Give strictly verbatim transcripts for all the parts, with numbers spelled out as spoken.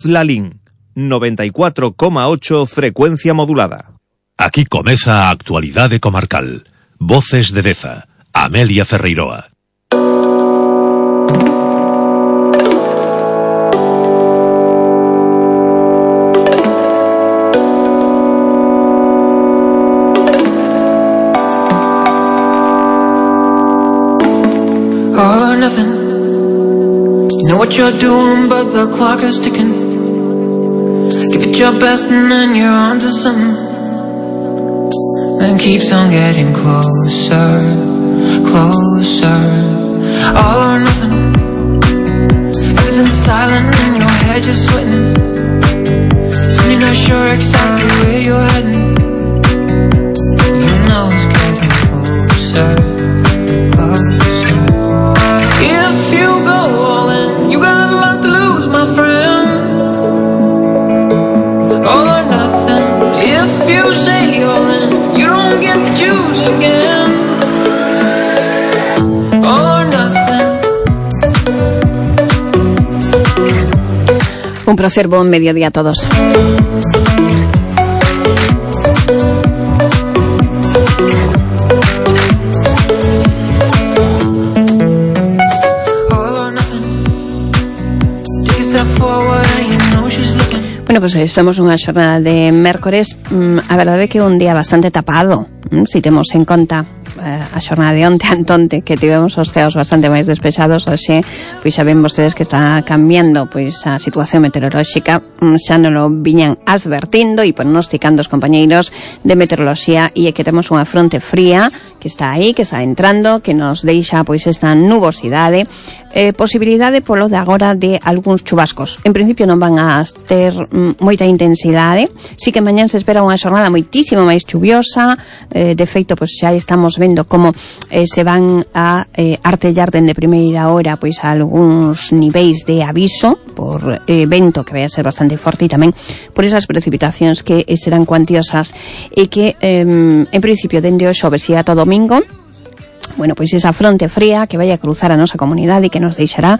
Lalín, noventa y cuatro coma ocho frecuencia modulada. Aquí comeza a actualidade comarcal. Voces de Deza, Amelia Ferreiroa. All or nothing. You know what you're doing, but the clock is ticking. Give it your best and then you're on to something. Then keeps on getting closer, closer. All or nothing. Everything's silent in your head, you're sweating. Soon you're not sure exactly where you're heading. You know it's getting closer, closer. If you go all in, you got a lot to lose, my friend. All or nothing. If you say all in, you don't get to choose again. All or nothing. Un placer, buen mediodía a todos. Bueno, pues estamos unha xornada de mércores, a verdade é que un día bastante tapado, se temos en conta a xornada de onte antonte, que tivemos os ceos bastante máis despexados. Hoxe, pois xa ven vostedes que está cambiando pois a situación meteorolóxica, xa non lo viñan advertindo e pronosticando os compañeiros de meteoroloxía, e é que temos unha fronte fría que está aí, que está entrando, que nos deixa pois esta nubosidade, eh, posibilidade polo de agora de algúns chubascos. En principio non van a ter mm, moita intensidade, si que mañán se espera unha xornada moitísimo máis chuviosa, eh, de feito pois xa estamos vendo como eh, se van a eh, artellar dende primeira hora pois a algúns niveis de aviso por eh, vento que vai a ser bastante forte, e tamén por esas precipitacións que eh, serán cuantiosas, e que eh, en principio dende o xoves e ata o domingo, bueno, pois esa fronte fría que vai a cruzar a nosa comunidade e que nos deixará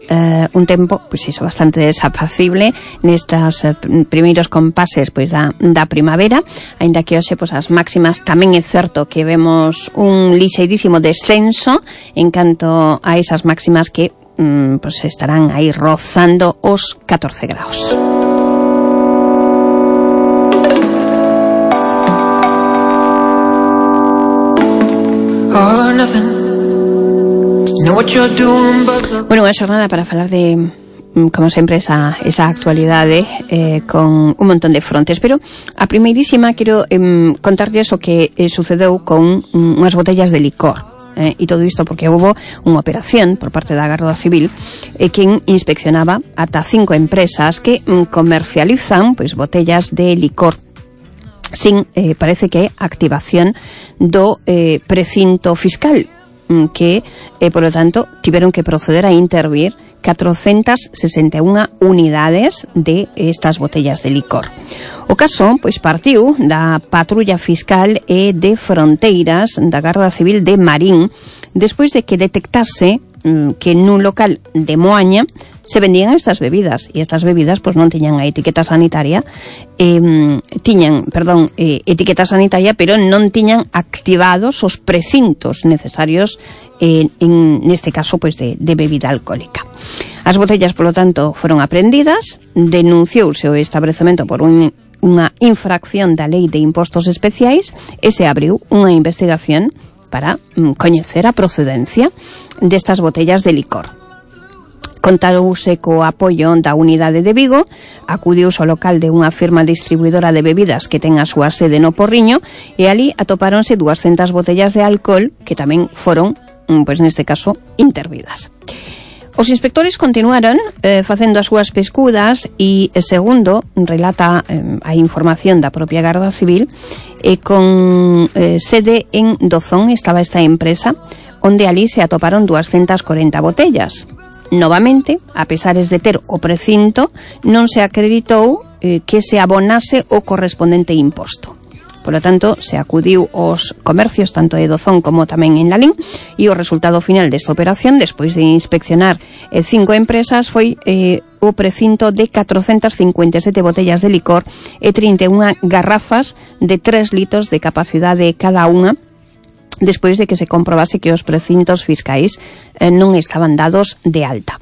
Uh, un tempo, pois iso, bastante desapacible nestas uh, primeiros compases pois da, da primavera, aínda que hoxe pois as máximas tamén é certo que vemos un lixeirísimo descenso en canto a esas máximas que um, pois estarán aí rozando os catorce graus. All or nothing. Bueno, unha xornada para falar de, como sempre, esa, esa actualidade eh, con un montón de frontes, pero a primeirísima quero eh, contarles o que eh, sucedeu con um, unhas botellas de licor. Eh, e todo isto porque houve unha operación por parte da Garda Civil eh, quen inspeccionaba ata cinco empresas que mm, comercializan pois botellas de licor sin, eh, parece que, activación do eh, precinto fiscal, que, eh, por lo tanto, tiveron que proceder a intervir catrocentas sesenta e unha unidades de estas botellas de licor. O caso, pois, partiu da Patrulla Fiscal e de Fronteiras da Garda Civil de Marín, despois de que detectase mm, que nun local de Moaña se vendían estas bebidas, e estas bebidas pois non tiñan a etiqueta sanitaria, eh, tiñan, perdón, eh, etiqueta sanitaria, pero non tiñan activados os precintos necesarios eh, en neste caso pois de, de bebida alcohólica. As botellas, polo tanto, foron apreendidas, denunciouse o establecemento por un, unha infracción da Lei de Impostos Especiais e se abriu unha investigación para mm, coñecer a procedencia destas botellas de licor. Contarouse co apoio da unidade de Vigo, acudiuse ao local de unha firma distribuidora de bebidas que ten a súa sede no Porriño, e ali atopáronse duascentas botellas de alcohol que tamén foron, pois neste caso, intervidas. Os inspectores continuaron eh, facendo as súas pescudas e, segundo relata eh, a información da propia Garda Civil, e con eh, sede en Dozón estaba esta empresa, onde ali se atoparon duascentas corenta botellas. Novamente, a pesares de ter o precinto, non se acreditou eh, que se abonase o correspondente imposto. Polo tanto, se acudiu aos comercios tanto de Dozón como tamén en Lalín, e o resultado final desta operación, despois de inspeccionar eh, cinco empresas, foi eh, o precinto de catrocentas cincuenta e sete botellas de licor e trinta e unha garrafas de tres litros de capacidade cada unha, despois de que se comprobase que os precintos fiscais eh, non estaban dados de alta.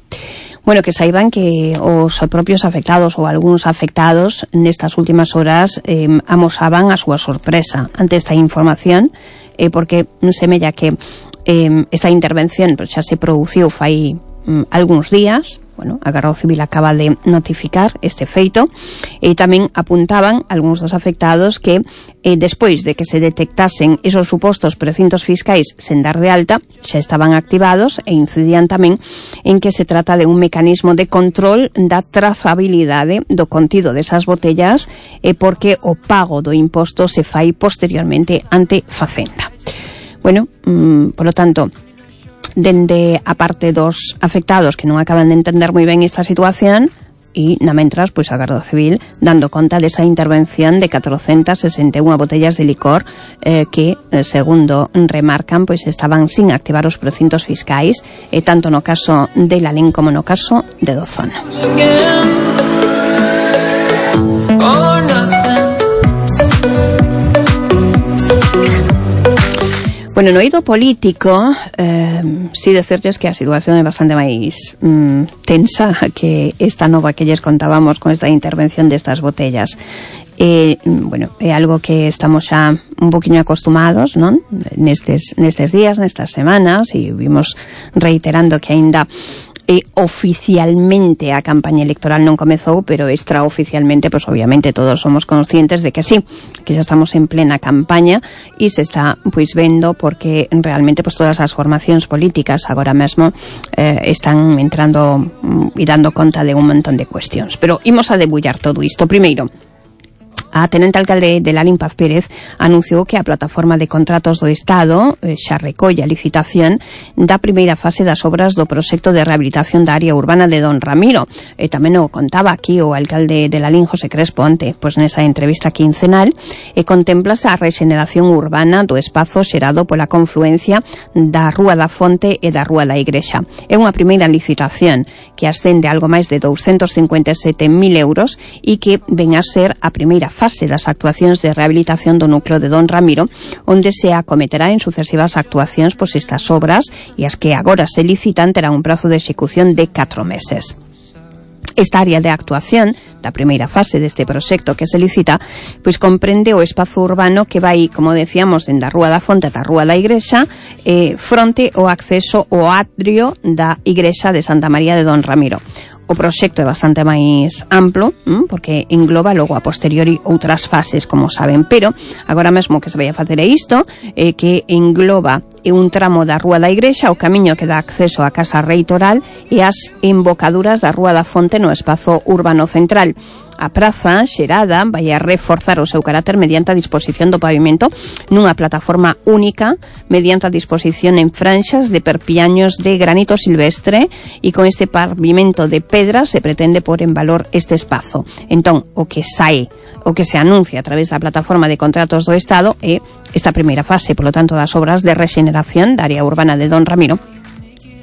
Bueno, que saiban que os propios afectados ou algúns afectados nestas últimas horas eh, amosaban a súa sorpresa ante esta información, eh, porque semella que eh, esta intervención pues, xa se produciu fai mm, algúns días. Bueno, a Garda Civil acaba de notificar este feito e tamén apuntaban algúns dos afectados que eh, despois de que se detectasen esos supostos precintos fiscais sen dar de alta, xa estaban activados e incidían tamén en que se trata de un mecanismo de control da trazabilidade do contido desas botellas e eh, porque o pago do imposto se fai posteriormente ante Facenda. Bueno, mmm, polo tanto, dende a parte dos afectados que non acaban de entender moi ben esta situación e, na mentras, pois a Garda Civil dando conta desa intervención de catrocentas sesenta e unha botellas de licor eh, que, segundo remarcan, pois estaban sin activar os precintos fiscais, e eh, tanto no caso de Lalín como no caso de Dozón. Bueno, no eido político, eh, si decirles que a situación é bastante máis mm, tensa que esta nova que lles contábamos con esta intervención destas botellas. Eh, bueno, é algo que estamos xa un poquinho acostumados, non? Nestes, nestes días, nestas semanas, e vimos reiterando que aínda E oficialmente a campaña electoral non comezou, pero extraoficialmente, pois obviamente todos somos conscientes de que sí, que xa estamos en plena campaña e se está pois vendo porque realmente pois todas as formacións políticas agora mesmo eh, están entrando e dando conta de un montón de cuestións. Pero imos a debullar todo isto. Primeiro, a tenente alcalde de Lalín, Paz Pérez, anunciou que a plataforma de contratos do Estado eh, xa recolle a licitación da primeira fase das obras do proxecto de rehabilitación da área urbana de Don Ramiro. E tamén o contaba aquí o alcalde de Lalín, José Crespo, onte, pois nesa entrevista quincenal, e contemplase a rexeneración urbana do espazo xerado pola confluencia da Rúa da Fonte e da Rúa da Igrexa. É unha primeira licitación que ascende a algo máis de douscentos cincuenta e sete mil euros e que ven a ser a primeira fase fase das actuacións de rehabilitación do núcleo de Don Ramiro, onde se acometerá en sucesivas actuacións pois estas obras, e as que agora se licitan terán un prazo de execución de catro meses. Esta área de actuación da primeira fase deste proxecto que se licita pois comprende o espazo urbano que vai, como decíamos, en da Rúa da Fonte ata a Rúa da Igrexa, eh, fronte ao acceso ao atrio da Igrexa de Santa María de Don Ramiro. O proxecto é bastante máis amplo, ¿m? Porque engloba logo a posteriori outras fases, como saben, pero agora mesmo que se vai a facer é isto, eh, que engloba un tramo da Rúa da Igrexa, o camiño que dá acceso á Casa Reitoral e as embocaduras da Rúa da Fonte no espazo urbano central. A praza xerada vai a reforzar o seu carácter mediante a disposición do pavimento nunha plataforma única, mediante a disposición en franxas de perpiaños de granito silvestre, e con este pavimento de pedra se pretende pôr en valor este espazo. Entón, o que sae, o que se anuncia a través da plataforma de contratos do Estado é esta primeira fase, polo tanto, das obras de rexeneración da área urbana de Don Ramiro,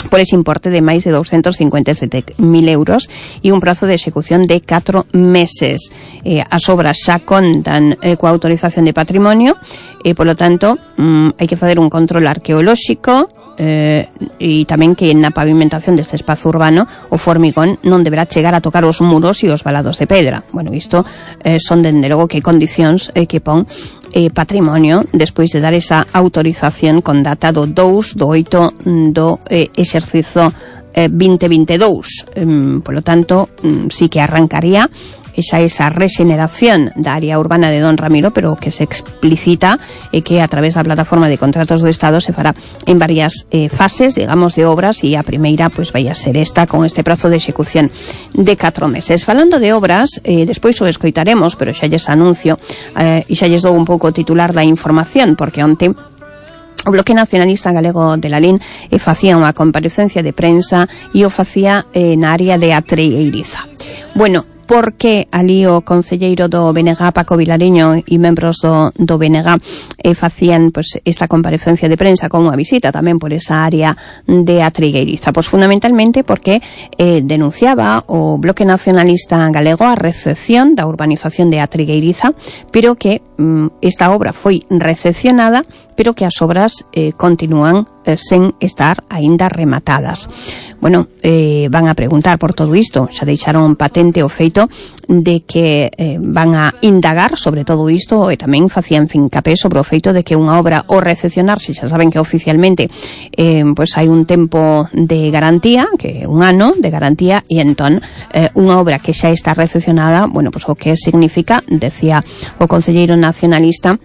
por ese importe de máis de douscentos cincuenta e sete mil euros e un prazo de execución de catro meses. Eh, as obras xa contan eh, coa autorización de patrimonio e, polo tanto, mm, hai que facer un control arqueolóxico eh, e tamén que na pavimentación deste espazo urbano o formigón non deberá chegar a tocar os muros e os valados de pedra. Bueno, isto eh, son, dende logo, que condicións eh, que pon Eh, patrimonio despois de dar esa autorización con data do dous do oito do eh, exercizo eh, vinte vinte e dous. Eh, polo tanto, mm, sí que arrancaría xa esa rexeneración da área urbana de Don Ramiro, pero que se explicita e eh, que a través da plataforma de contratos do Estado se fará en varias eh, fases, digamos, de obras, e a primeira pois vai a ser esta con este prazo de execución de catro meses. Falando de obras, eh, despois o escoitaremos, pero xa lles anuncio eh, e xa lles dou un pouco o titular da información, porque onte o Bloque Nacionalista Galego de Lalín eh, facía unha comparecencia de prensa e o facía eh, na área de Atreiriza. Bueno, por que ali o concelleiro do B N G, Paco Vilariño, e membros do, do B N G eh, facían pues, esta comparecencia de prensa con unha visita tamén por esa área de a Trigueiriza. Pois fundamentalmente porque eh, denunciaba o Bloque Nacionalista Galego a recepción da urbanización de a Trigueiriza, pero que mm, esta obra foi recepcionada, pero que as obras eh, continúan eh, sen estar aínda rematadas. Bueno, eh, van a preguntar por todo isto, xa deixaron patente o feito de que eh, van a indagar sobre todo isto e tamén facían fincapé sobre o feito de que unha obra o recepcionarse, xa saben que oficialmente eh, pues hai un tempo de garantía, que é un ano de garantía, e entón eh, unha obra que xa está recepcionada, bueno, pues o que significa, decía o concelleiro nacionalista,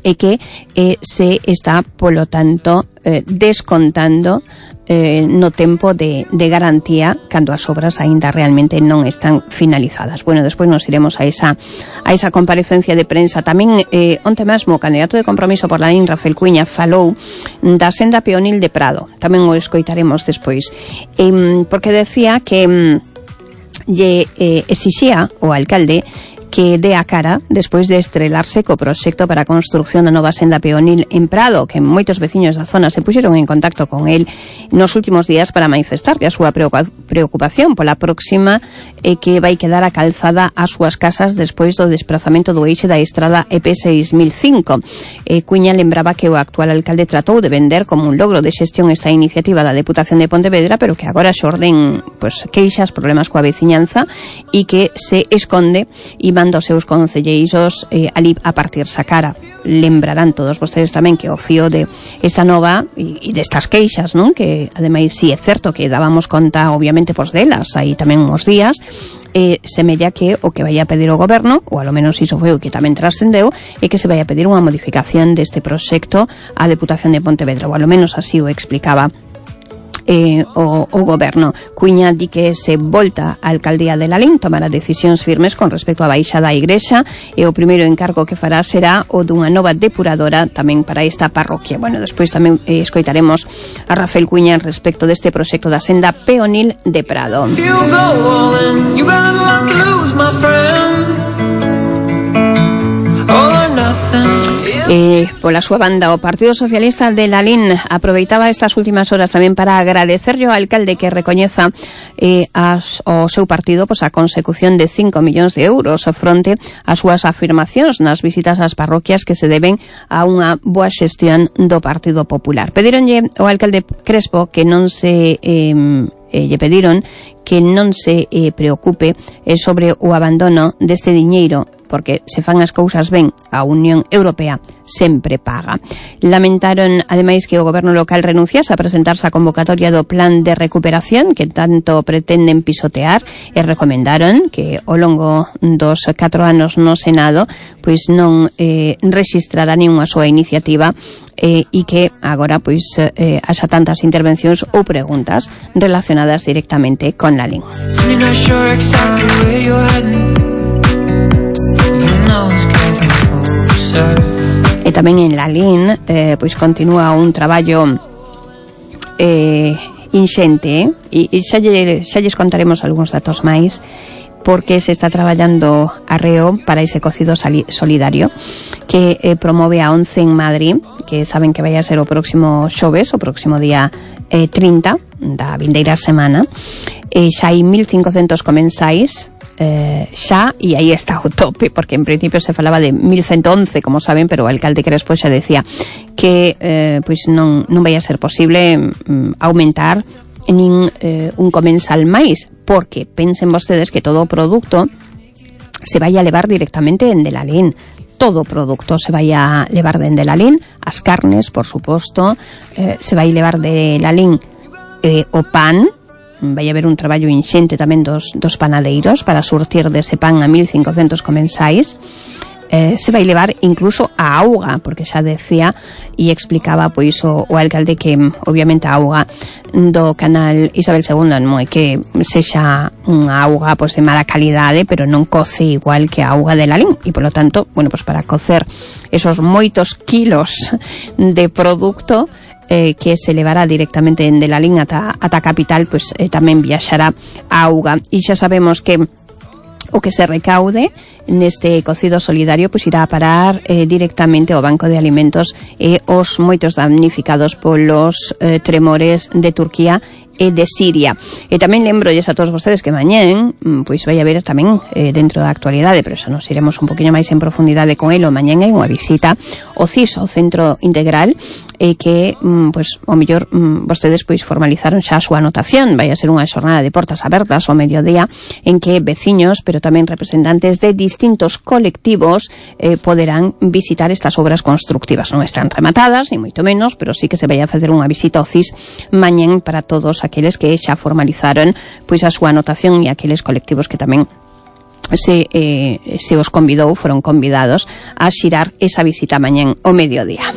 é que eh, se está, polo tanto, eh, descontando eh, no tempo de, de garantía cando as obras aínda realmente non están finalizadas. Bueno, despois nos iremos a esa a esa comparecencia de prensa. Tamén eh, onte mesmo o candidato de Compromiso por Lalín, Rafael Cuíña, falou da senda peonil de Prado. Tamén o escoitaremos despois. Eh, porque decía que mm, lle eh, exixía o alcalde que dé a cara despois de estrelarse co proxecto para a construcción da nova senda peonil en Prado, que moitos veciños da zona se puxeron en contacto con el nos últimos días para manifestarle a súa preocupación pola próxima eh, que vai quedar a calzada ás súas casas despois do desplazamento do eixe da estrada E P seis mil cinco. Eh, Cuña lembraba que o actual alcalde tratou de vender como un logro de xestión esta iniciativa da Deputación de Pontevedra, pero que agora xorden pues, queixas, problemas coa veciñanza e que se esconde e manda os seus concelleiros eh, ali a partirse a cara. Lembrarán todos vostedes tamén que o fío de esta nova e, e destas queixas, non? Que ademais si sí, é certo que dábamos conta obviamente pos delas aí tamén uns días, eh, semella que o que vai a pedir o goberno, ou alo menos iso foi o que tamén trascendeu, é que se vai a pedir unha modificación deste proxecto á Deputación de Pontevedra, ou alo menos así o explicaba Eh, o, o goberno. Cuña di que se volta a alcaldía de Lalín tomará decisións firmes con respecto á baixada á igrexa e o primeiro encargo que fará será o dunha nova depuradora tamén para esta parroquia. Bueno, despois tamén eh, escoitaremos a Rafael Cuña respecto deste proxecto da senda peonil de Prado. You go all in, you got a lot to lose, my friend. All or nothing. Eh, pola súa banda, o Partido Socialista de Lalín aproveitaba estas últimas horas tamén para agradecerlle ao alcalde que recoñeza eh, as, o seu partido pois, a consecución de cinco millóns de euros fronte ás súas afirmacións nas visitas ás parroquias que se deben a unha boa xestión do Partido Popular. Pedironlle ao alcalde Crespo que non se... Eh, Eh, lle pediron que non se eh, preocupe eh, sobre o abandono deste diñeiro, porque se fan as cousas ben, a Unión Europea sempre paga. Lamentaron, ademais, que o goberno local renunciase a presentarse a convocatoria do plan de recuperación que tanto pretenden pisotear e recomendaron que ao longo dos catro anos no Senado pois non eh, rexistrará ninguna súa iniciativa eh, e que agora pois eh, haxa tantas intervencións ou preguntas relacionadas directamente con Lalín. E tamén en Lalín eh, pois continúa un traballo eh, inxente eh? e xa, lle, xa lles contaremos algúns datos máis porque se está traballando arreo para ese cocido solidario que eh, promove a ONCE en Madrid, que saben que vai a ser o próximo xoves, o próximo día eh, trinta da vindeira semana. Eh, xa hai mil cincocentos comensais eh, xa, e aí está o tope, porque en principio se falaba de mil ciento once, como saben, pero o alcalde Crespo xa decía que eh, pois non, non vai a ser posible mm, aumentar nin eh, un comensal máis, porque pensen vostedes que todo o produto se vai a levar directamente en de Lalín. Todo o produto se vai a levar de en de Lalín, as carnes, por suposto, eh, se vai levar de Lalín eh, o pan, vai haber un traballo inxente tamén dos, dos panadeiros para surtir dese pan a mil cincocentos comensais. Eh, se vai levar incluso a auga, porque xa decía e explicaba pois o, o alcalde que obviamente a auga do canal Isabel segunda non é que sexa unha auga pois de mala calidade, pero non coce igual que a auga de Lalín e polo tanto, bueno, pois para cocer esos moitos kilos de produto eh, que se levará directamente en de Lalín ata, ata capital, pois eh, tamén viaxará a auga. E xa sabemos que o que se recaude neste cocido solidario pois irá a parar eh, directamente ao Banco de Alimentos e os moitos damnificados polos eh, tremores de Turquía e de Siria. E tamén lembrolles a todos vostedes que mañén pois vai haber tamén eh, dentro da actualidade, pero eso nos iremos un poquinho máis en profundidade con elo. Mañén hai unha visita ao C I S, ao Centro Integral, e que mm, pois o mellor mm, vostedes pois formalizaron xa a súa anotación. Vai a ser unha xornada de portas abertas ao mediodía en que veciños, pero tamén representantes de distintos colectivos eh, poderán visitar estas obras constructivas. Non están rematadas, ni moito menos, pero sí que se vai a facer unha visita ao C I S mañén para todos aqueles que xa formalizaron pois a súa anotación e aqueles colectivos que tamén se, eh, se os convidou, foron convidados a xirar esa visita mañén ao mediodía.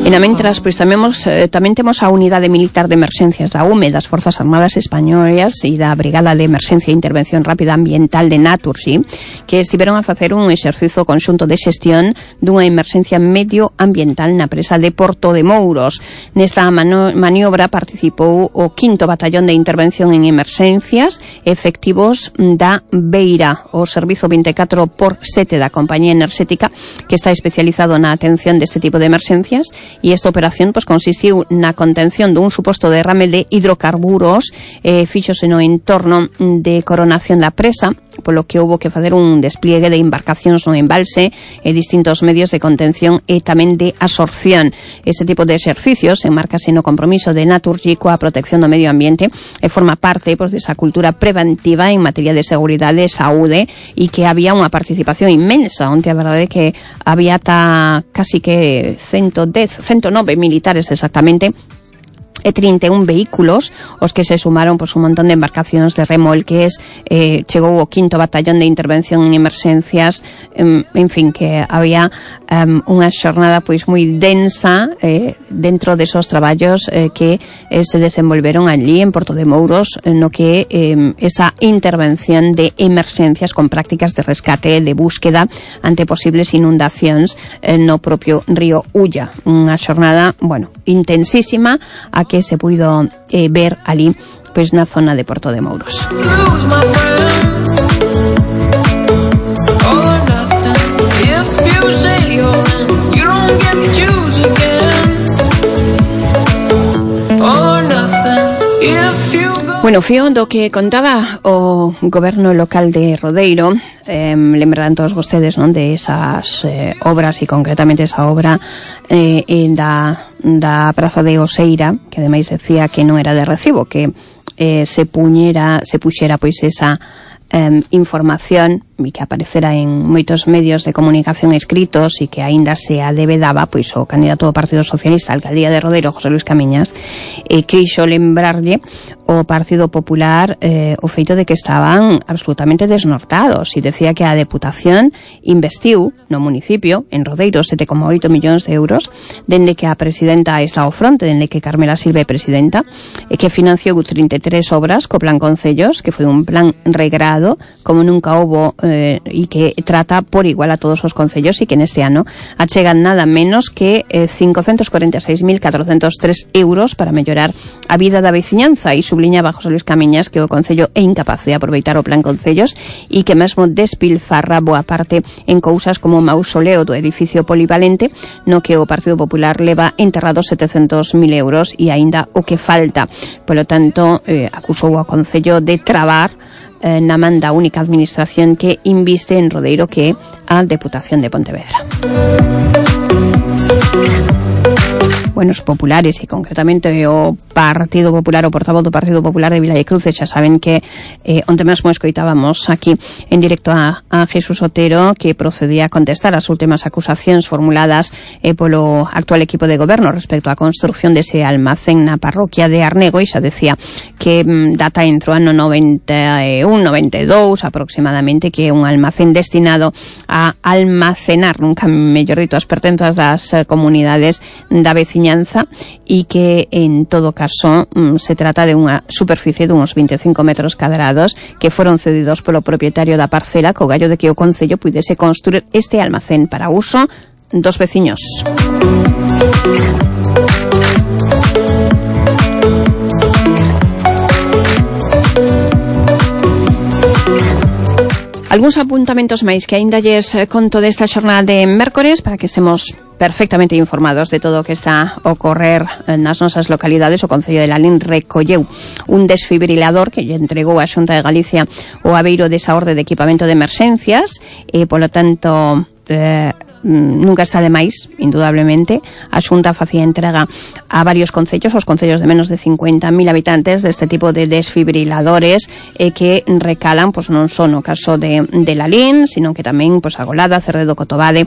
E na mentras, pois tamén, mos, eh, tamén temos a Unidade Militar de Emerxencias da U M E, das Forzas Armadas Españolas e da Brigada de Emerxencia e Intervención Rápida Ambiental de Naturgy, que estiveron a facer un exercizo conxunto de xestión dunha emerxencia medioambiental na presa de Porto de Mouros. Nesta mano, maniobra participou o quinto Batallón de Intervención en Emerxencias, efectivos da Beira, o Servizo vinte e catro por sete da Compañía Enerxética, que está especializado na atención deste tipo de emerxencias. E esta operación pois, consistiu na contención dun suposto derrame de hidrocarburos, eh, fíxose no entorno de coronación da presa, polo que houbo que facer un despliegue de embarcacións no embalse e distintos medios de contención e tamén de absorción. Ese tipo de exercicios enmarcase no compromiso de Naturgy coa protección do medio ambiente e forma parte pois, desa cultura preventiva en materia de seguridade e saúde, e que había unha participación inmensa, onde a verdade é que había ata casi que ciento dez, ciento nove militares exactamente, e trinta e un vehículos os que se sumaron pois, un montón de embarcacións de remolques. eh, chegou o quinto Batallón de Intervención en Emerxencias, en, en fin, que había um, unha xornada pois moi densa eh, dentro desos traballos eh, que eh, se desenvolveron allí en Porto de Mouros, no que eh, esa intervención de emerxencias con prácticas de rescate, de búsqueda ante posibles inundacións eh, no propio río Ulla. Unha xornada, bueno, intensísima, a que se puido eh, ver ali pois na zona de Porto de Mouros. Bueno, fío do que contaba o goberno local de Rodeiro, eh, lembrarán todos vostedes, non, de esas eh, obras, e concretamente esa obra eh, da, da Praza de Oseira, que ademais decía que non era de recibo, que eh, se puñera, se puxera pois esa eh, información e que aparecera en moitos medios de comunicación escritos, e que aínda se adebedaba pois o candidato do Partido Socialista á alcaldía de Rodeiro, José Luis Camiñas, e quixo lembrarlle o Partido Popular eh, o feito de que estaban absolutamente desnortados, e decía que a Deputación investiu no municipio, en Rodeiro, sete coma oito millóns de euros, dende que a presidenta está ao fronte, dende que Carmela Silva é presidenta, e que financiou trinta e tres obras co Plan Concellos, que foi un plan regrado como nunca houbo, eh, e que trata por igual a todos os concellos, e que neste ano achegan nada menos que eh, cincocentos cuarenta e seis mil catrocentos tres euros para mellorar a vida da veciñanza. E subliñaba José Luis Camiñas que o Concello é incapaz de aproveitar o Plan Concellos, e que mesmo despilfarra boa parte en cousas como o mausoleo do edificio polivalente, no que o Partido Popular leva enterrados setecentos mil euros e aínda o que falta. Polo tanto, eh, acusou ao Concello de trabar eh, na man da única administración que inviste en Rodeiro, que é a Deputación de Pontevedra. Bueno, os populares, e concretamente o Partido Popular, o portavoz do Partido Popular de Viladecruz, xa saben que eh, onte mesmo escoitábamos aquí en directo a, a Jesús Otero, que procedía a contestar as últimas acusacións formuladas eh, polo actual equipo de goberno respecto á construcción dese almacén na parroquia de Arnego, e xa decía que mm, data entre o ano noventa e un, noventa e dous aproximadamente, que é un almacén destinado a almacenar, nunca mellor dito, as pertenzas das eh, comunidades da veciñanza, e que en todo caso mm, se trata de unha superficie de uns veinticinco metros cadrados que foron cedidos polo propietario da parcela, co gallo de que o Concello puidese construir este almacén para uso dos veciños. Algúns apuntamentos máis que aínda lles conto desta xornada de mércores para que estemos perfectamente informados de todo o que está a ocorrer nas nosas localidades. O Concello de Lalín recolleu un desfibrilador que lle entregou a Xunta de Galicia o Aveiro desa orde de equipamento de emerxencias e, polo tanto, eh, nunca está de máis, indudablemente. A Xunta facía entrega a varios concellos, os concellos de menos de cincuenta mil habitantes, deste tipo de desfibriladores eh, que recalan, pois non só no caso de, de Lalín, sino que tamén pois, a Golada, Cerredo, Cotobade,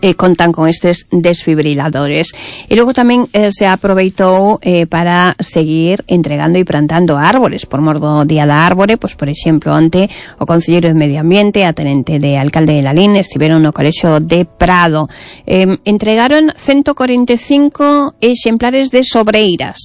Eh, contan con estes desfibriladores. E logo tamén eh, se aproveitou eh, para seguir entregando e plantando árboles por mor do Día da Árbore. Pois, por exemplo, onte o Concelleiro de Medio Ambiente, a tenente de alcalde de Lalín, estiveron no Colexio de Prado. Eh, entregaron ciento cuarenta e cinco exemplares de sobreiras,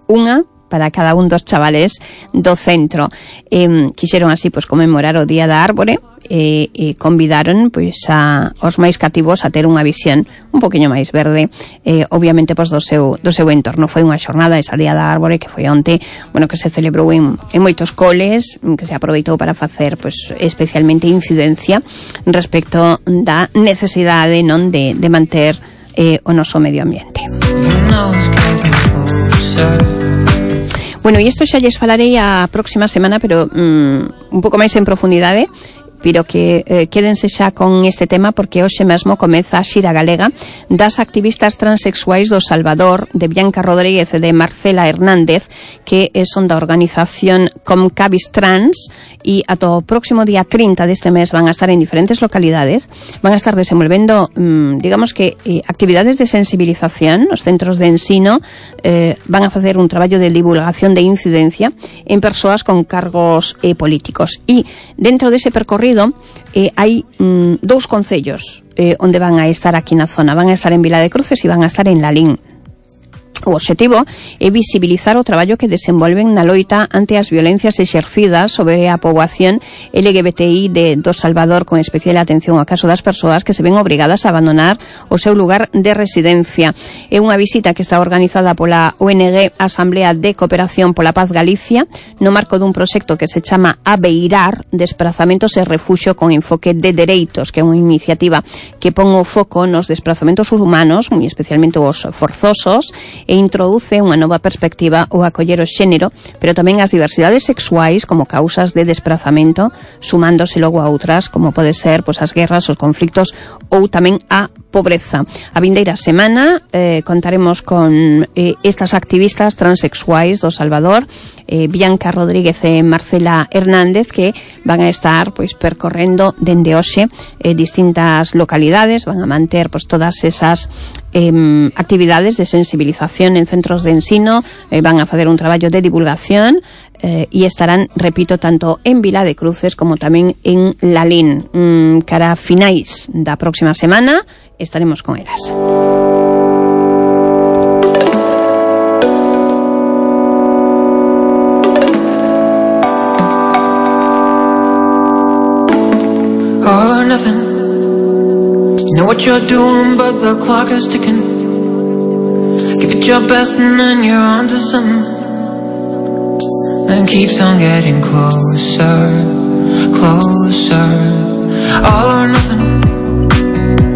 unha para cada un dos chavales do centro. Eh, quixeron así pois conmemorar o Día da Árbore e, e convidaron pois a os máis cativos a ter unha visión un poquinho máis verde, eh, obviamente pois do seu do seu entorno. Foi unha xornada esa Día da Árbore que foi onte, bueno, que se celebrou en, en moitos coles, que se aproveitou para facer pois especialmente incidencia respecto da necesidade non de, de manter eh, o noso medio ambiente. Bueno, e isto xa lles falarei a próxima semana, pero mm, un pouco máis en profundidade, pero que eh, quédense xa con este tema porque hoxe mesmo comeza a xira galega das activistas transexuais do Salvador, de Bianca Rodríguez e de Marcela Hernández, que son da organización Comcabis Trans, e ata o próximo día trinta deste mes van a estar en diferentes localidades, van a estar desenvolvendo mmm, digamos que eh, actividades de sensibilización. Os centros de ensino eh, van a facer un traballo de divulgación de incidencia en persoas con cargos eh, políticos, e dentro dese percorrido Eh, hai mm, dous concellos eh, onde van a estar aquí na zona. Van a estar en Vila de Cruces e van a estar en Lalín. O obxectivo é visibilizar o traballo que desenvolven na loita ante as violencias exercidas sobre a poboación L G B T I de do Salvador, con especial atención ao caso das persoas que se ven obrigadas a abandonar o seu lugar de residencia. É unha visita que está organizada pola O N G Asamblea de Cooperación pola Paz Galicia, no marco dun proxecto que se chama Abeirar, Desprazamentos e Refuxio con enfoque de dereitos, que é unha iniciativa que pon o foco nos desprazamentos humanos, moi especialmente os forzosos, e introduce unha nova perspectiva ao acoller o xénero, pero tamén as diversidades sexuais como causas de desprazamento, sumándose logo a outras, como pode ser pois, as guerras, os conflictos ou tamén a pobreza. A vindeira semana eh, contaremos con eh, estas activistas transexuais do Salvador, eh, Bianca Rodríguez e Marcela Hernández, que van a estar pois percorrendo dende hoxe eh, distintas localidades, van a manter pois todas esas eh, actividades de sensibilización en centros de ensino, eh, van a facer un traballo de divulgación eh, e estarán, repito, tanto en Vila de Cruces como tamén en Lalín. Mm, cara a finais da próxima semana estaremos con elas. All or nothing. You know what you're doing, but the clock is ticking. Give it your best and then you're on to something. Then keeps on getting closer, closer. All or nothing.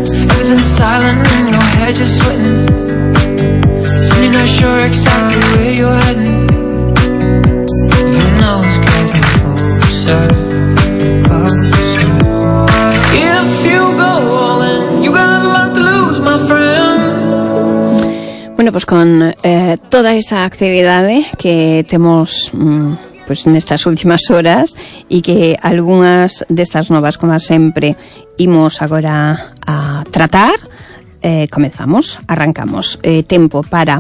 Everything's silent in your head, you're sweating. So you're not sure exactly where you're heading. You know it's getting closer, closer. If you go all in, you got a lot to lose, my friend. Bueno, pues con eh, toda esa actividade que temos mm, pues nestas últimas horas e que algunhas destas novas, como sempre, imos agora a tratar, eh, comezamos, arrancamos. Eh, tempo para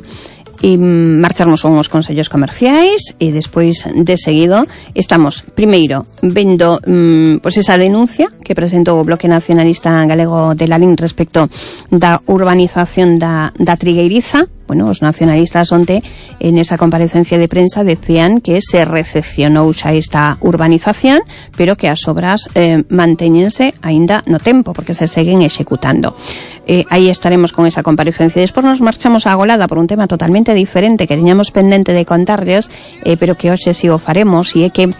e marcharnos a uns consellos comerciais e despois de seguido estamos primeiro vendo mm, pois esa denuncia que presentou o Bloque Nacionalista Galego de Lalín respecto da urbanización da, da Trigueiriza. Bueno, os nacionalistas onte en esa comparecencia de prensa decían que se recepcionou xa esta urbanización, pero que as obras eh, mantéñense aínda no tempo, porque se seguen executando. Eh, aí estaremos con esa comparecencia. Despois nos marchamos a Agolada por un tema totalmente diferente que teñamos pendente de contarles, eh, pero que hoxe si o faremos, e é que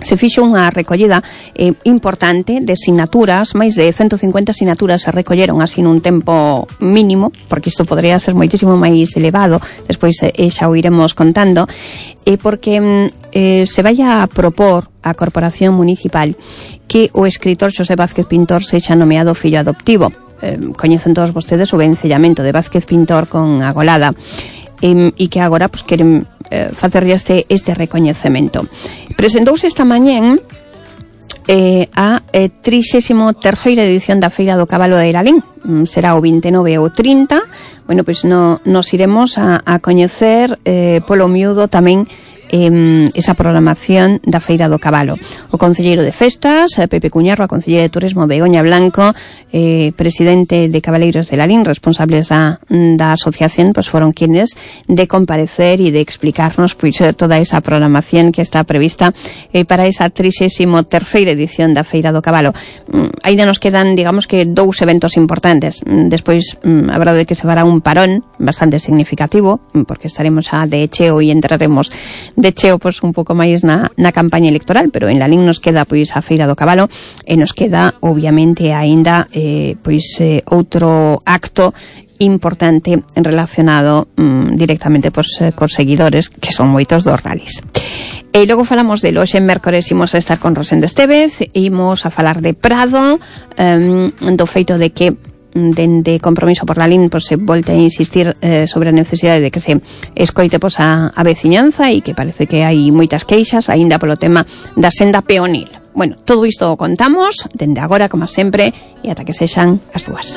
se fixo unha recollida eh, importante de sinaturas, máis de ciento cincuenta sinaturas se recolleron así nun tempo mínimo, porque isto podría ser moitísimo máis elevado, despois eh, xa o iremos contando, eh, porque eh, se vai a propor a Corporación Municipal que o escritor Xosé Vázquez Pintor sexa nomeado fillo adoptivo. Eh, coñecen todos vostedes o vencellamento de Vázquez Pintor con Agolada, e, e que agora pues, queren eh, facerlle este, este recoñecemento. Presentouse esta mañén eh, a eh, trixésimo terceira edición da Feira do Cabalo de Lalín. Mm, será o vinte e nove ou trinta. Bueno, pois pues no, nos iremos a, a coñecer eh, polo miúdo tamén eh, esa programación da Feira do Cabalo. O concelleiro de Festas, Pepe Cuñarro, a concelleira de Turismo, Begoña Blanco, eh, presidente de Cabaleiros de Lalín, responsables da, da asociación, pues fueron quienes de comparecer y de explicarnos pues, toda esa programación que está prevista eh, para esa trixésimo terceira edición da Feira do Cabalo. Mm, ainda nos quedan, digamos que, dous eventos importantes. Mm, despois, mm, a verdade é que se fará un parón bastante significativo, porque estaremos a de cheo e entraremos de cheo pois un pouco máis na, na campaña electoral, pero en Lalín nos queda pois a Feira do Cabalo e nos queda obviamente aínda eh, pois eh, outro acto importante relacionado mm, directamente pois, eh, cos seguidores que son moitos dos rallies. E logo falamos de hoxe en mércores imos a estar con Rosendo Estevez, imos a falar de Prado, um, do feito de que dende Compromiso por Lalín pues, se volte a insistir eh, sobre a necesidade de que se escoite pues, a, a veciñanza e que parece que hai moitas queixas aínda polo tema da senda peonil. Bueno, todo isto o contamos dende agora, como sempre, e ata que sexan as dúas.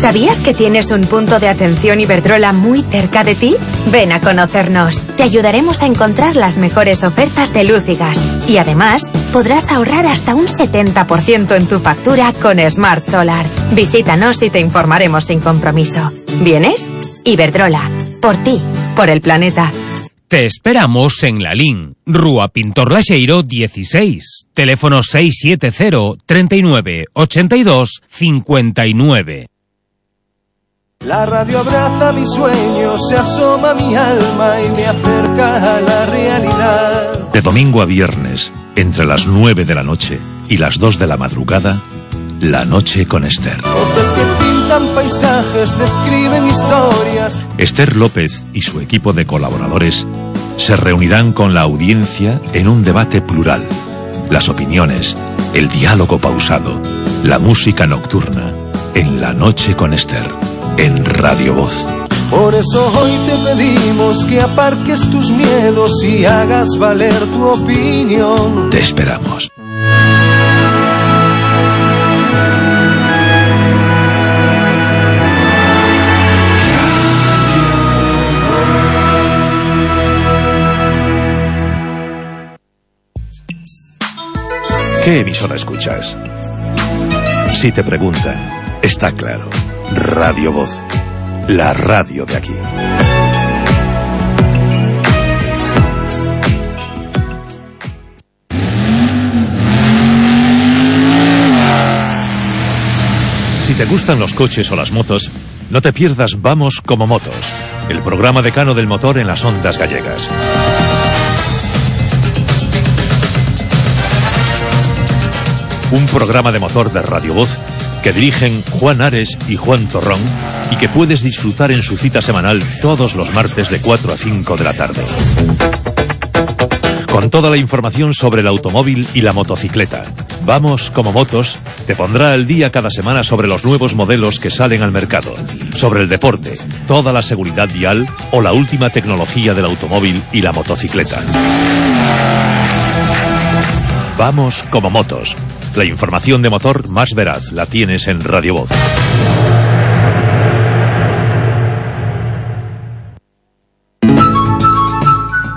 ¿Sabías que tienes un punto de atención Iberdrola muy cerca de ti? Ven a conocernos. Te ayudaremos a encontrar las mejores ofertas de luz y gas. Y además, podrás ahorrar hasta un setenta por ciento en tu factura con Smart Solar. Visítanos y te informaremos sin compromiso. ¿Vienes? Iberdrola. Por ti. Por el planeta. Te esperamos en Lalín, Rúa Pintor Laxeiro dieciséis, teléfono seis siete cero, treinta y nueve, ochenta y dos, cincuenta y nueve. La radio abraza mis sueños, se asoma a mi alma y me acerca a la realidad. De domingo a viernes, entre las nueve de la noche y las dos de la madrugada, La Noche con Esther. Voces que pintan paisajes, describen historias. Esther López y su equipo de colaboradores se reunirán con la audiencia en un debate plural. Las opiniones, el diálogo pausado, la música nocturna, en La Noche con Esther. En Radio Voz. Por eso hoy te pedimos que aparques tus miedos y hagas valer tu opinión. Te esperamos. ¿Qué emisora escuchas? Si te preguntan, está claro. Radio Voz, la radio de aquí. Si te gustan los coches o las motos, no te pierdas Vamos como Motos, el programa decano del motor en las ondas gallegas. Un programa de motor de Radio Voz que dirigen Juan Ares y Juan Torrón y que puedes disfrutar en su cita semanal todos los martes de cuatro a cinco de la tarde. Con toda la información sobre el automóvil y la motocicleta, Vamos como motos te pondrá al día cada semana sobre los nuevos modelos que salen al mercado, sobre el deporte, toda la seguridad vial o la última tecnología del automóvil y la motocicleta. Vamos como motos. La información de motor más veraz la tienes en Radio Voz.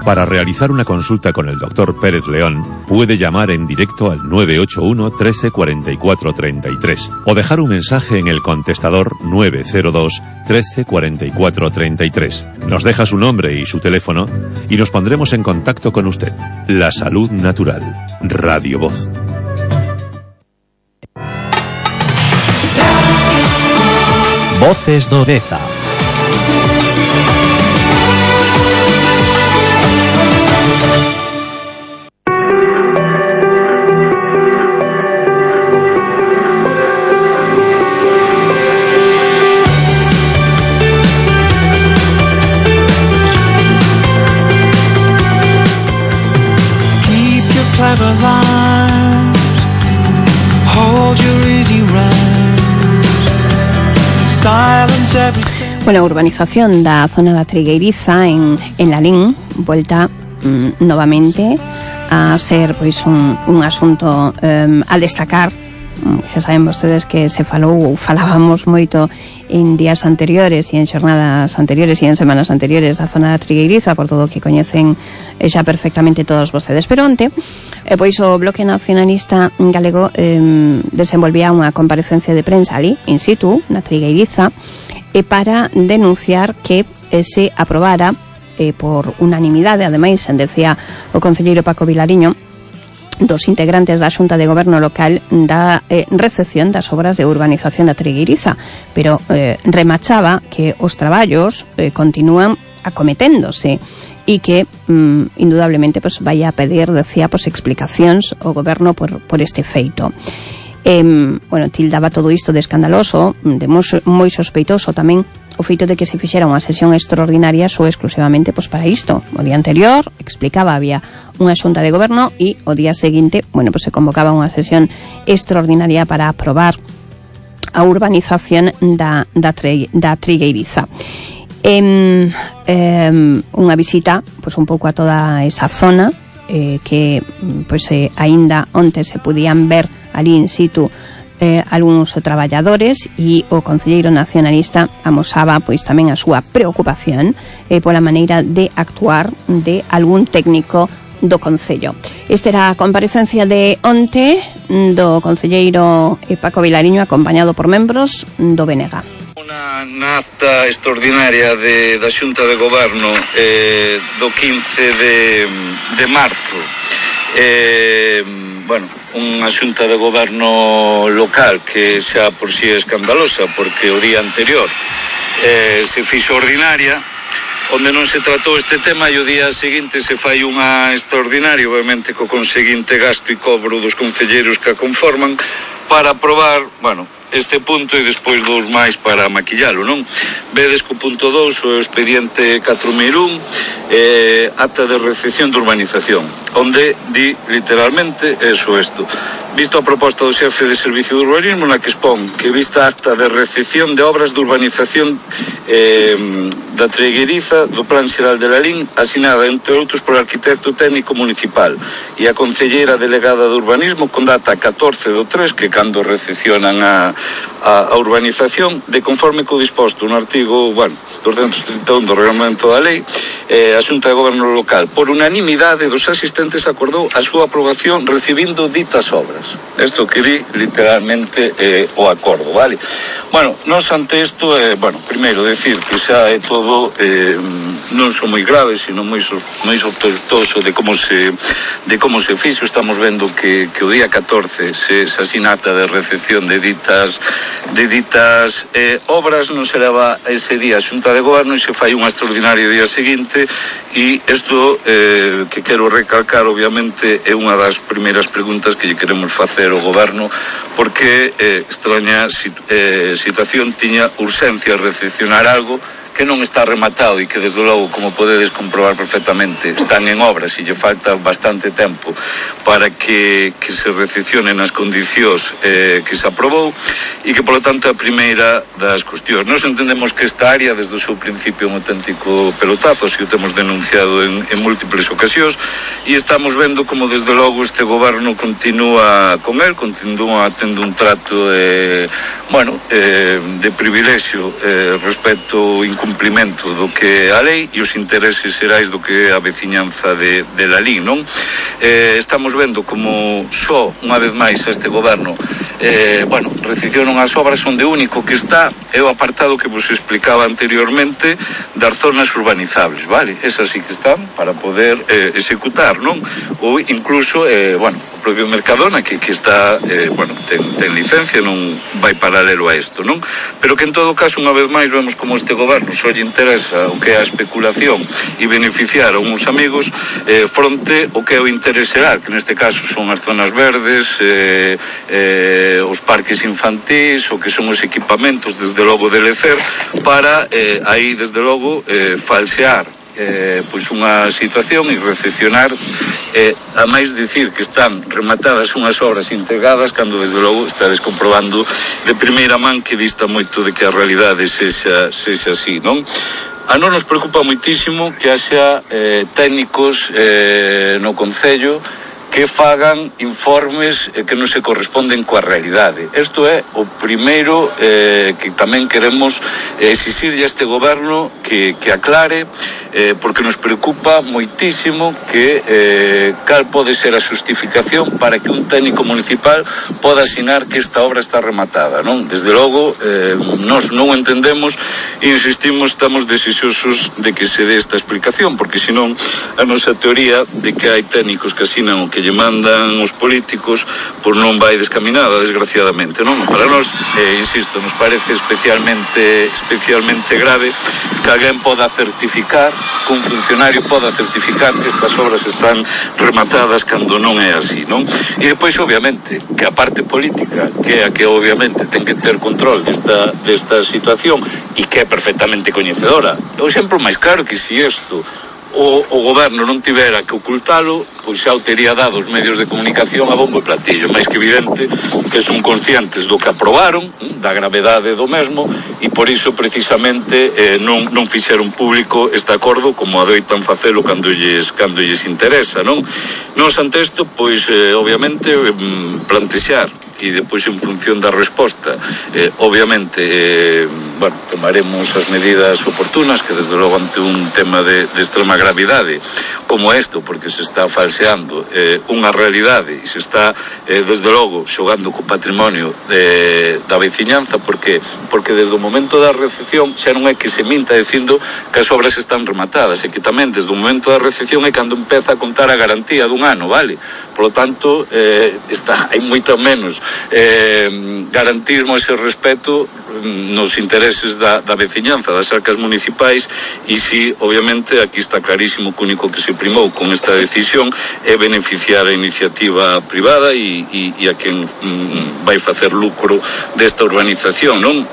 Para realizar una consulta con el doctor Pérez León, puede llamar en directo al nueve ocho uno, trece, cuarenta y cuatro, treinta y tres o dejar un mensaje en el contestador nueve cero dos, trece, cuarenta y cuatro, treinta y tres. Nos deja su nombre y su teléfono y nos pondremos en contacto con usted. La salud natural. Radio Voz. Voces de Odeza. Bueno, a urbanización da zona da Trigueiriza en, en Lalín volta mm, novamente a ser pois un, un asunto um, a destacar. Xa saben vostedes que se falou ou falábamos moito en días anteriores e en xornadas anteriores e en semanas anteriores a zona da Trigueiriza, por todo o que coñecen xa perfectamente todos vostedes. Pero onte, eh, pois o Bloque Nacionalista Galego eh, desenvolvía unha comparecencia de prensa ali, in situ, na Trigueiriza, e para denunciar que eh, se aprobara eh, por unanimidade, ademais, decía o concelleiro Paco Vilariño, dos integrantes da Xunta de Goberno Local da eh, recepción das obras de urbanización da Trigueiriza, pero eh, remachaba que os traballos eh, continúan acometéndose e que, mm, indudablemente, pues, vai a pedir, decía, pues, explicacións ao Goberno por, por este feito. Eh, bueno, tildaba todo isto de escandaloso, de moi, moi sospeitoso tamén o feito de que se fixera unha sesión extraordinaria só exclusivamente pois para isto. O día anterior, explicaba, había unha xunta de goberno e o día seguinte, bueno, pois se convocaba unha sesión extraordinaria para aprobar a urbanización da, da, tre, da Trigueiriza. Eh, eh, unha visita pois un pouco a toda esa zona eh, que pois eh, aínda onte se podían ver ali in situ eh, algúns traballadores e o concelleiro nacionalista amosaba pois tamén a súa preocupación eh, pola maneira de actuar de algún técnico do Concello. Esta era a comparecencia de onte do concelleiro Paco Vilariño acompañado por membros do B N G. Unha acta extraordinaria de, da Xunta de Goberno eh, do quince de, de marzo. Eh, bueno, unha xunta de goberno local que xa por si é escandalosa porque o día anterior eh, se fixo ordinaria onde non se tratou este tema e o día seguinte se fai unha extraordinaria, obviamente co conseguinte gasto e cobro dos concelleiros que a conforman para aprobar, bueno, este punto e despois dous máis para maquillalo, non? Vedes que o punto dous o expediente catro mil un eh, acta de recepción de urbanización onde di literalmente eso isto. Visto a proposta do xefe de servicio de urbanismo na que expón que vista a acta de recepción de obras de urbanización eh, da Trigueiriza do Plan Xeral de Lalín asinada entre outros por arquitecto técnico municipal e a concelleira delegada de urbanismo con data catorce do tres que cando recepcionan a, a, a urbanización de conforme co disposto no artigo, bueno, doscientos trinta e un do reglamento da lei, eh, a Xunta de Goberno Local por unanimidade dos asistentes acordou a súa aprobación recibindo ditas obras. Isto que di literalmente eh, o acordo, vale? Bueno, nos ante isto, eh, bueno, primeiro decir que xa é todo eh, non son moi graves, sino moi, so, moi sospeitoso de como se de como se fixo. Estamos vendo que, que o día catorce se, se asinata de recepción de ditas de ditas eh, obras non se leva ese día a Xunta de Goberno e se fai unha extraordinaria día seguinte e isto eh, que quero recalcar obviamente é unha das primeiras preguntas que lle queremos facer ao Goberno porque eh, extraña sit, eh, situación tiña urxencia recepcionar algo que non está rematado e que desde logo, como podedes comprobar perfectamente, están en obras e lle falta bastante tempo para que, que se recepcione nas condicións eh, que se aprobou e que, polo tanto, a primeira das cuestións. Nos entendemos que esta área, desde o seu principio, é un auténtico pelotazo, así o temos denunciado en, en múltiples ocasións, e estamos vendo como, desde logo, este goberno continúa con el, continúa tendo un trato eh, bueno, eh, de privilexio eh, respecto ao incumplimento do que a lei e os intereses xerais do que a veciñanza de, de Lalín, non? Eh, estamos vendo como só, unha vez máis, este goberno eh, bueno, recepcionan as obras onde único que está é o apartado que vos explicaba anteriormente das zonas urbanizables, vale? Esas sí que están para poder eh, executar, non? Ou incluso, eh, bueno, o propio Mercadona que, que está, eh, bueno, ten, ten licencia, non vai paralelo a isto, non? Pero que en todo caso, unha vez máis, vemos como este goberno só lle interesa o que é a especulación e beneficiar a uns amigos eh, fronte o que é o interés xeral, que neste caso son as zonas verdes, eh, eh, os parques infantís, o que son os equipamentos, desde logo de lecer, para eh, aí, desde logo, eh, falsear Eh, pois unha situación e recepcionar eh, a máis dicir que están rematadas unhas obras integradas cando desde logo estades comprobando de primeira man que dista moito de que a realidade sexa, sexa así, non? A non nos preocupa moitísimo que haxa eh, técnicos eh, no Concello que fagan informes eh, que non se corresponden coa realidade. Isto é o primeiro eh, que tamén queremos eh, exixirlle a este goberno que, que aclare, eh, porque nos preocupa moitísimo que eh, cal pode ser a justificación para que un técnico municipal poda asinar que esta obra está rematada, non? Desde logo, eh, nós non entendemos e insistimos, estamos desexosos de que se dé esta explicación, porque senón a nosa teoría de que hai técnicos que asinan o que lle mandan os políticos por non vai descaminada, desgraciadamente, non? Para nós, eh, insisto, nos parece especialmente especialmente grave que alguén poda certificar, que un funcionario poda certificar que estas obras están rematadas cando non é así, non? E depois, obviamente, que a parte política, que é a que obviamente ten que ter control desta, desta situación e que é perfectamente coñecedora. O exemplo máis claro que si isto O, o goberno non tivera que ocultalo, pois xa o tería dado os medios de comunicación a bombo e platillo, máis que evidente que son conscientes do que aprobaron, da gravedade do mesmo, e por iso precisamente eh, non, non fixeron público este acordo como adoitan facelo cando lles, cando lles interesa, non? Nos ante isto, pois, eh, obviamente, eh, plantexar e depois en función da resposta eh, obviamente eh, bueno, tomaremos as medidas oportunas que desde logo ante un tema de, de extrema gravidade como isto, porque se está falseando eh, unha realidade e se está eh, desde logo xogando co patrimonio de, da veciñanza, porque porque desde o momento da recepción xa non é que se minta dicindo que as obras están rematadas, é que tamén desde o momento da recepción é cando empeza a contar a garantía dun ano, vale? Por lo tanto, eh, está, hai moito menos eh, garantismo ese respeto nos intereses da, da veciñanza, das arcas municipais, e si, obviamente, aquí está clarísimo que o único que se primou con esta decisión é beneficiar a iniciativa privada e, e, e a quen mm, vai facer lucro desta urbanización, non?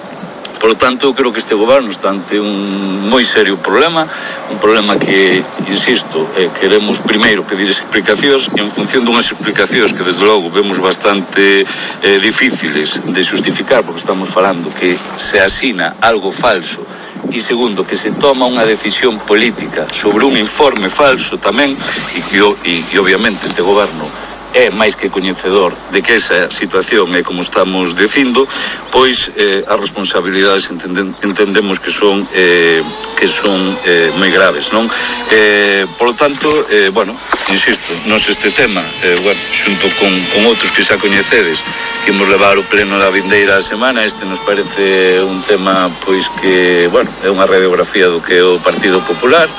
Por lo tanto, eu creo que este goberno está ante un moi serio problema, un problema que, insisto, eh, queremos primeiro pedir explicacións, e en función dunhas explicacións que, desde logo, vemos bastante eh, difíciles de justificar, porque estamos falando que se asina algo falso, e segundo, que se toma unha decisión política sobre un informe falso tamén, e que, e, e obviamente, este goberno é máis que coñecedor de que esa situación é como estamos dicindo, pois eh, as responsabilidades entenden, entendemos que son eh, que son eh, moi graves, non? Eh, por lo tanto, eh, bueno, insisto, nos este tema, eh, bueno, xunto con, con outros que xa coñecedes, que imos levar o pleno da vindeira semana, este nos parece un tema, pois que, bueno, é unha radiografía do que é o Partido Popular,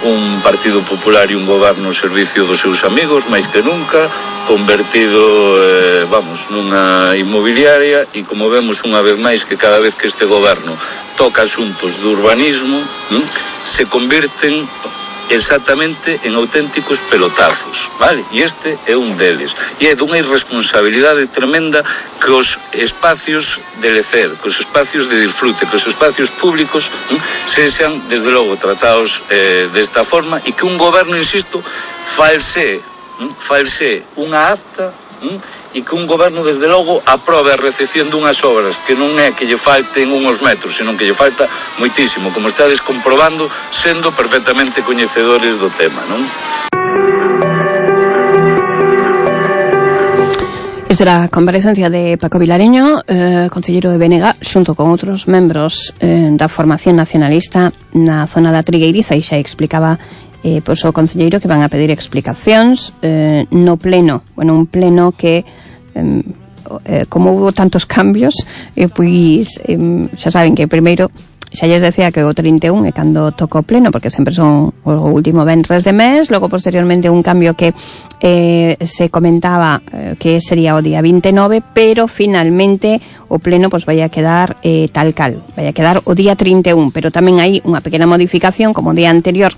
un Partido Popular e un goberno ao servicio dos seus amigos, máis que nunca, convertido, eh, vamos, nunha inmobiliaria, e como vemos unha vez máis que cada vez que este goberno toca asuntos de urbanismo, hm, se convirten exactamente en auténticos pelotazos, vale? E este é un deles. E é dunha irresponsabilidade tremenda que os espacios de lecer, que os espacios de disfrute, que os espacios públicos hm, sexan, desde logo, tratados eh, desta forma e que un goberno, insisto, false, hm, false unha acta hm, e que un goberno, desde logo, aprobe a recepción dunhas obras que non é que lle falten unhos metros, senón que lle falta moitísimo, como estades comprobando, sendo perfectamente coñecedores do tema, non? Esta era a comparecencia de Paco Vilareño, eh, concelleiro de Bénega, xunto con outros membros eh, da formación nacionalista na zona da Trigueiriza, e xa explicaba eh, pois o concelleiro que van a pedir explicacións eh, no pleno, bueno, un pleno que eh, eh, como hubo tantos cambios, eh, pois eh, xa saben que primeiro xa lles decía que o trinta e un é cando toca o pleno, porque sempre son o último venres de mes, logo posteriormente un cambio que eh, se comentaba eh, que sería o día vinte e nove, pero finalmente o pleno pues vai a quedar eh, tal cal, vai a quedar o día trinta e un, pero tamén hai unha pequena modificación, como o día anterior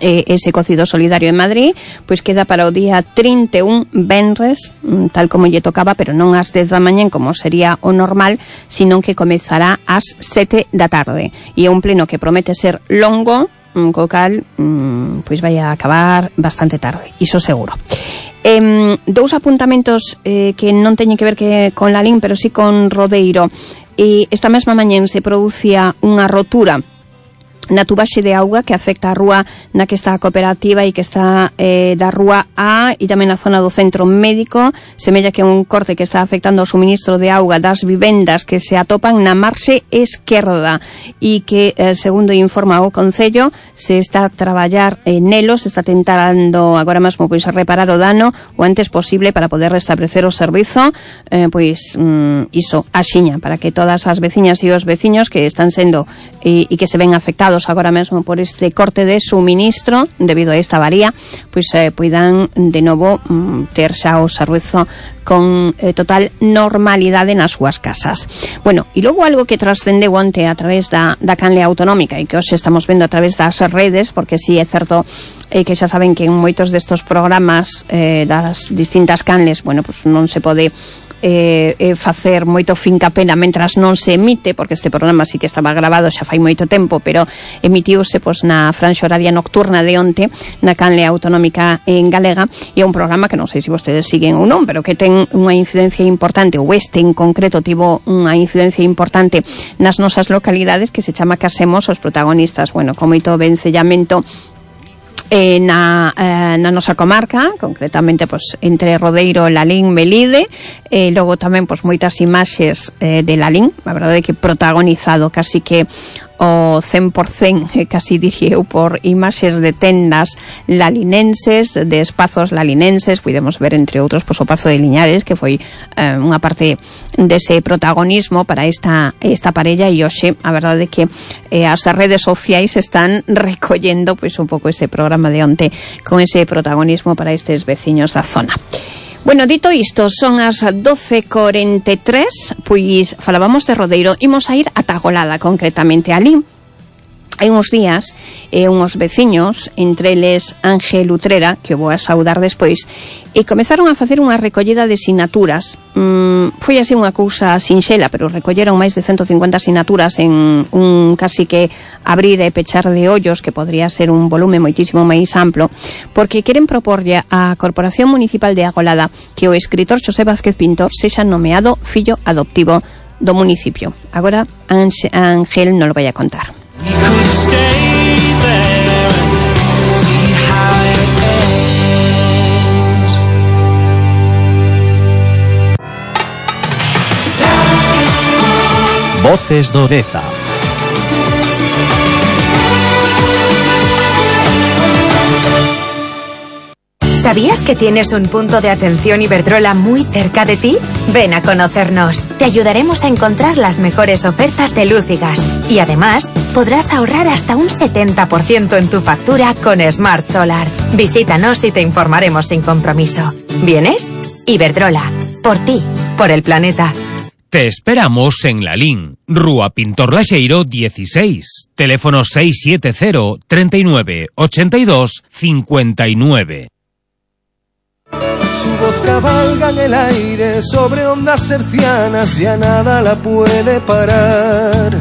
eh, ese cocido solidario en Madrid, pois queda para o día trinta e un venres, tal como lle tocaba, pero non ás dez da mañá como sería o normal, sino que comezará ás sete da tarde. E é un pleno que promete ser longo, co cal mm, pois vai a acabar bastante tarde, iso seguro. Eh, dous apuntamentos eh, que non teñen que ver que con Lalín, pero sí con Rodeiro. E esta mesma mañá se producía unha rotura na tubaxe de auga que afecta a rúa na que está a cooperativa e que está eh, da rúa A e tamén na zona do centro médico. Semella que un corte que está afectando o suministro de auga das vivendas que se atopan na marxe esquerda e que, eh, segundo informa o Concello, se está a traballar eh, nelo, se está tentando agora mesmo pois reparar o dano o antes posible para poder restablecer o servizo, eh, pois mm, iso, axiña, para que todas as veciñas e os veciños que están sendo e, e que se ven afectados agora mesmo por este corte de suministro debido a esta avaría, pois eh, poidan de novo mm, ter xa o servizo con eh, total normalidade nas súas casas. Bueno, e logo algo que trascendeu onte a través da, da canle autonómica e que hoxe estamos vendo a través das redes, porque si sí, é certo eh, que xa saben que en moitos destos programas eh, das distintas canles, bueno, pues non se pode Eh, eh, facer moito fincapena mentras non se emite, porque este programa sí que estaba grabado xa fai moito tempo, pero emitiuse pois, na franxa horaria nocturna de onte na canle autonómica en galega, e é un programa que non sei se vostedes siguen ou non, pero que ten unha incidencia importante, ou este en concreto tivo unha incidencia importante nas nosas localidades, que se chama Casemos os protagonistas, bueno, con moito vencellamento Eh, na, eh, na nosa comarca, concretamente pues, entre Rodeiro, Lalín, Melide, e eh, logo tamén pues, moitas imaxes eh, de Lalín, a verdade é que protagonizado casi que o cen por cen, eh, casi diría eu, por imaxes de tendas lalinenses, de espazos lalinenses. Podemos ver, entre outros, pues, o Pazo de Liñares, que foi eh, unha parte dese protagonismo para esta, esta parella, e hoxe, a verdade é que eh, as redes sociais están recollendo pois, un pouco ese programa de onte con ese protagonismo para estes veciños da zona. Bueno, dito isto, son as doce e corenta e tres, pois falábamos de Rodeiro, imos a ir a Tagolada, concretamente alí. Hai uns días, eh, uns veciños, entre eles Ángel Utrera, que vou a saudar despois, e comezaron a facer unha recollida de sinaturas. Mm, foi así unha cousa sinxela, pero recolleron máis de ciento cincuenta sinaturas en un casi que abrir e pechar de ollos, que podría ser un volume moitísimo máis amplo, porque queren proporlle á Corporación Municipal de Agolada que o escritor Xosé Vázquez Pintor sexa nomeado fillo adoptivo do municipio. Agora Ángel non lo vai a contar. Voces do Deza. ¿Sabías que tienes un punto de atención Iberdrola muy cerca de ti? Ven a conocernos. Te ayudaremos a encontrar las mejores ofertas de luz y gas. Y además, podrás ahorrar hasta un setenta por ciento en tu factura con Smart Solar. Visítanos y te informaremos sin compromiso. ¿Vienes? Iberdrola. Por ti. Por el planeta. Te esperamos en Lalín, Rúa Pintor Laxeiro dieciséis, teléfono seis siete cero, treinta y nueve, ochenta y dos, cincuenta y nueve. Su voz cabalga en el aire sobre ondas hercianas, ya nada la puede parar.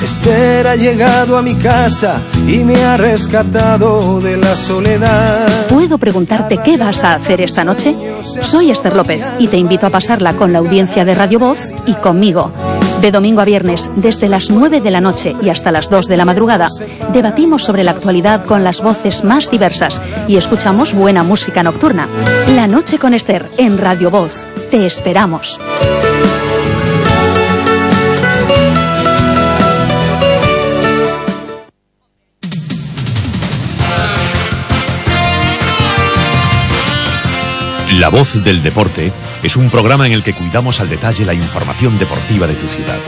Esther ha llegado a mi casa y me ha rescatado de la soledad. ¿Puedo preguntarte qué vas a hacer esta noche? Soy Esther López y te invito a pasarla con la audiencia de Radio Voz y conmigo. De domingo a viernes, desde las nueve de la noche y hasta las dos de la madrugada, debatimos sobre la actualidad con las voces más diversas y escuchamos buena música nocturna. La noche con Esther en Radio Voz. Te esperamos. La Voz del Deporte es un programa en el que cuidamos al detalle la información deportiva de tu ciudad.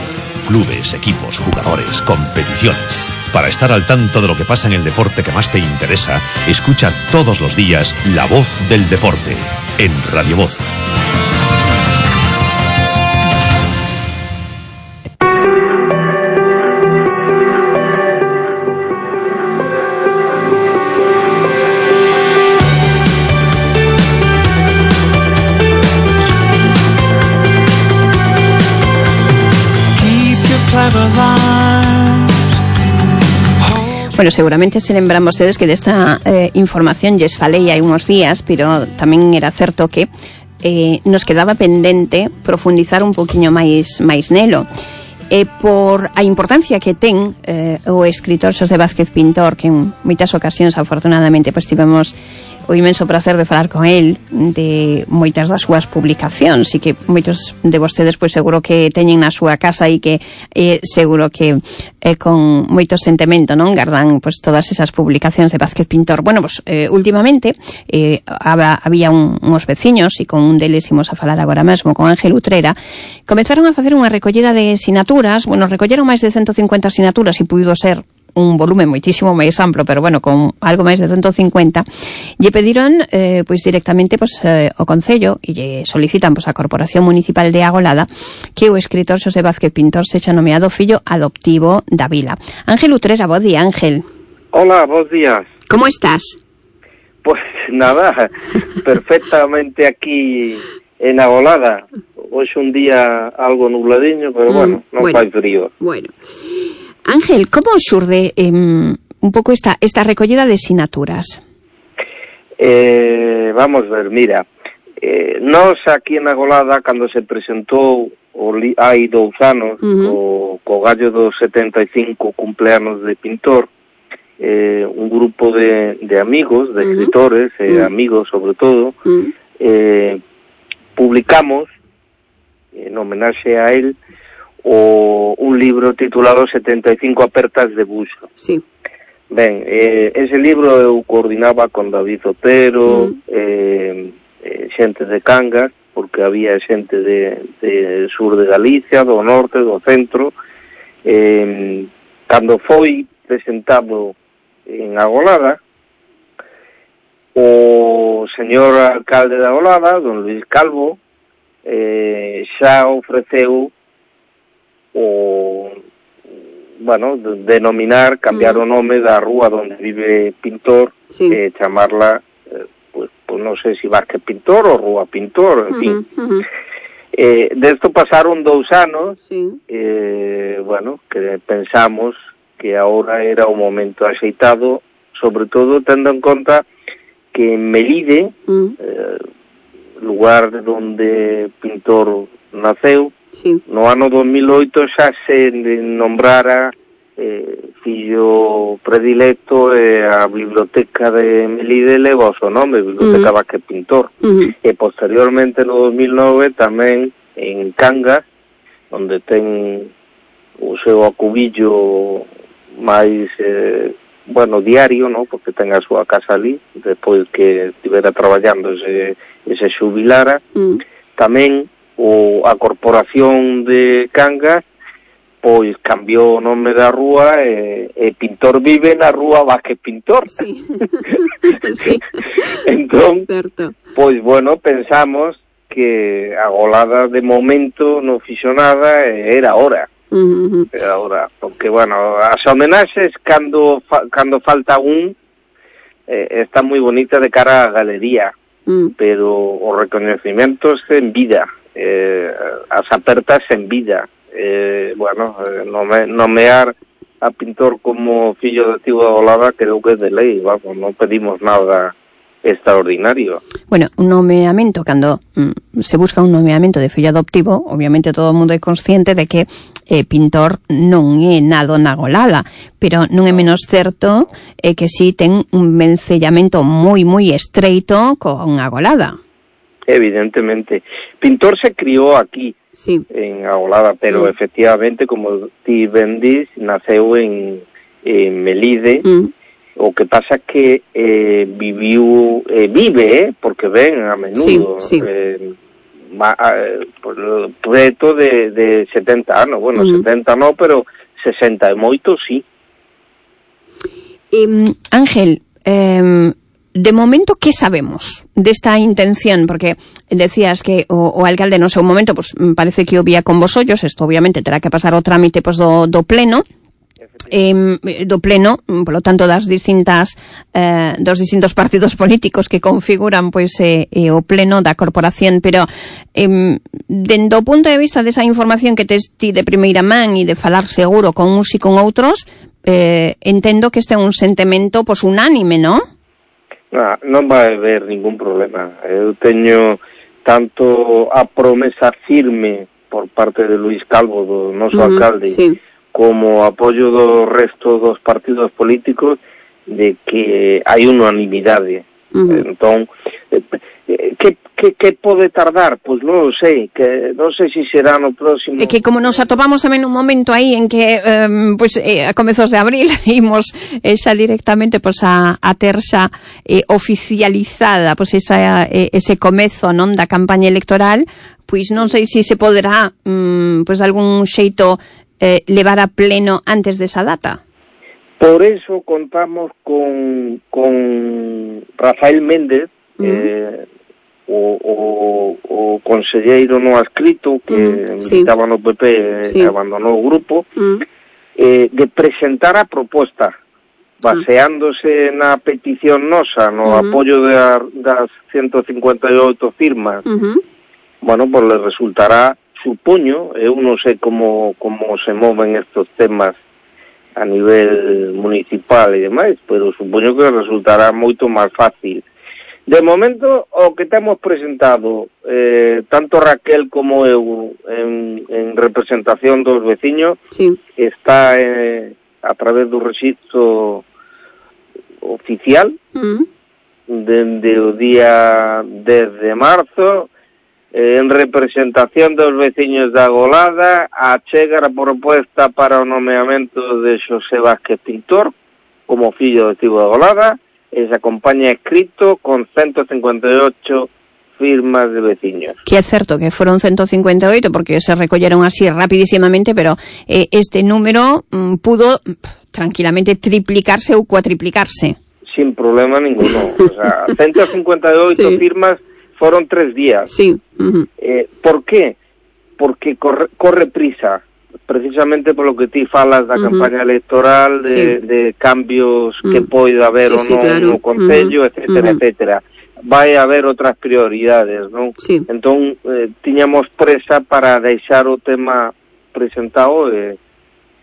Clubes, equipos, jugadores, competiciones. Para estar al tanto de lo que pasa en el deporte que más te interesa, escucha todos los días La Voz del Deporte en Radio Voz. Bueno, seguramente se lembran vostedes que desta eh, información lles falei hai uns días, pero tamén era certo que eh, nos quedaba pendente profundizar un poquinho máis máis nelo. E por a importancia que ten eh, o escritor Xosé Vázquez Pintor, que en moitas ocasións, afortunadamente, pois tivemos o inmenso placer de falar con el de moitas das súas publicacións, e que moitos de vostedes pois seguro que teñen na súa casa e que eh, seguro que eh, con moito sentimento, non, gardan pois todas esas publicacións de Vázquez Pintor. Bueno, pois eh, últimamente eh, había un, uns veciños, e con un deles imos a falar agora mesmo, con Ángel Utrera, comezaron a facer unha recollida de sinaturas. Bueno, recolleron máis de ciento cincuenta sinaturas e puido ser un volumen moitísimo máis amplo, pero bueno, con algo máis de ciento cincuenta, lle pediron eh, pois directamente pois, eh, o Concello e lle solicitan pois, a Corporación Municipal de Agolada que o escritor Xosé Vázquez Pintor sexa nomeado fillo adoptivo da vila. Ángel Utrera, bo día, Ángel. Hola, bos días. Como estás? Pues nada, perfectamente aquí en Agolada. Hoxe un día algo nubladiño, pero mm, bueno, non bueno, fai frío. Bueno. Ángel, como xurde eh, un pouco esta esta recollida de sinaturas? Eh, vamos ver, mira, eh, nós aquí en Agolada, cando se presentou o li, hai dous anos, uh-huh. o, co gallo dos setenta e cinco cumpleanos de Pintor, eh, un grupo de, de amigos, de uh-huh. escritores, eh, uh-huh. amigos sobre todo, uh-huh. eh, publicamos, en homenaxe a él, o un libro titulado setenta e cinco apertas de buxo. Sí. Ben, eh, ese libro eu coordinaba con David Otero, mm. eh, eh, xente de Cangas, porque había xente de, de sur de Galicia, do norte, do centro. Eh, cando foi presentado en Agolada, o señor alcalde de Agolada, don Luis Calvo, eh, xa ofreceu o, bueno, denominar, cambiar uh-huh. o nome da rúa onde vive Pintor, sí. eh, chamarla, eh, pues, pues non sei se Vázquez Pintor ou Rúa Pintor, en fin. Uh-huh, uh-huh. Eh, desto pasaron dous anos, sí. eh, bueno, que pensamos que agora era o momento axeitado, sobre todo tendo en conta que en Melide, uh-huh. eh, lugar onde Pintor naceu, sí. no ano dos mil oito xa se nombrara eh, fillo predilecto e eh, a biblioteca de Melide leva o seu nome, Biblioteca uh-huh. Vázquez Pintor. Uh-huh. E posteriormente no dos mil nove tamén en Cangas, onde ten o seu acubillo máis eh, bueno, diario, no? Porque ten a súa casa ali, despois que estivera traballando ese, ese xubilara. Uh-huh. Tamén o a Corporación de Cangas pois cambiou o nome da rúa e, e Pintor vive na rúa Vázquez Pintor. Sí. Sí. Entón, certo. Pois bueno, pensamos que a Golada de momento non fixo nada, era hora. Uh-huh. Era hora, porque, bueno, as homenaxes cando, fa, cando falta un eh, está moi bonita de cara á galería, uh-huh. pero os recoñecementos en vida, eh, as apertas en vida, eh, bueno, eh, nome, nomear a pintor como fillo de Tivo da Golada creo que é de lei, vamos, non pedimos nada extraordinario. Bueno, un nomeamento, cando mm, se busca un nomeamento de fillo adoptivo, obviamente todo o mundo é consciente de que eh, pintor non é nado na Golada, pero non é menos certo eh, que si ten un vencellamento moi, moi estreito con a Golada. Evidentemente. Pintor se criou aquí, sí. en a Golada, pero mm. efectivamente, como ti ben dis, naceu en, en Melide. Mm. O que pasa é que eh, viviu, eh, vive, eh, porque ven a menudo, sí, sí. Eh, ma, eh, preto de, de setenta anos, bueno, uh-huh. setenta no, pero sesenta e moito, sí. Eh, Ángel, eh, de momento, ¿qué sabemos desta intención? Porque decías que o, o alcalde no sei un momento, pues parece que o vía con vos ollos, isto obviamente terá que pasar o trámite pues, do, do pleno, Eh, do pleno, polo tanto das distintas eh, dos distintos partidos políticos que configuran pois eh, eh, o pleno da corporación, pero eh, dende o punto de vista desa información que tes ti de primeira man e de falar seguro con uns e con outros, eh, entendo que este é un sentimento pois unánime, non? Non, non vai haber ningún problema. Eu teño tanto a promesa firme por parte de Luís Calvo, do noso uh-huh, alcalde, sí. como apoio do resto dos partidos políticos de que hai unanimidade. Uh-huh. Entón, que, que, que pode tardar? Pois non sei, que non sei se será no próximo... É que como nos atopamos tamén un momento aí en que um, pois, eh, a comezos de abril imos eh, xa directamente pois, a, a ter xa eh, oficializada pois, esa, eh, ese comezo non da campaña electoral, pois non sei se se poderá um, pois, algún xeito Eh, levar a pleno antes desa data. Por eso contamos con, con Rafael Méndez, uh-huh. eh, o, o, o conselleiro no adscrito que uh-huh. militaba sí. no P P e sí. abandonou o grupo, uh-huh. eh, de presentar a proposta baseándose uh-huh. na petición nosa, no uh-huh. apoio de a, das ciento cincuenta e oito firmas. Uh-huh. Bueno, pues le resultará, supoño, eu non sei como, como se moven estos temas a nivel municipal e demais, pero supoño que resultará moito máis fácil. De momento, o que temos presentado, eh, tanto Raquel como eu, en, en representación dos veciños, sí. está eh, a través do rexistro oficial, uh-huh. dende o día dez de marzo, en representación dos veciños da Golada, achega a proposta para o nomeamento de Xosé Vázquez Pintor como fillo de Tivo da Golada, e se acompaña escrito con ciento cincuenta e ocho firmas de veciños. Que é certo que foron ciento cincuenta e oito porque se recolleron así rapidísimamente, pero eh, este número mm, pudo pff, tranquilamente triplicarse ou cuatriplicarse. Sin problema ninguno. O sea, ciento cincuenta e oito sí. firmas foron tres días. Sí. Uh-huh. Eh, ¿Por qué? Porque corre, corre prisa, precisamente por lo que ti falas da uh-huh. campaña electoral, de, sí. de cambios uh-huh. que pode haber sí, ou non sí, claro. no Concello, uh-huh. etcétera, uh-huh. etcétera. Vai haber outras prioridades, non? Sí. Entón, eh, tiñamos presa para deixar o tema presentado e eh,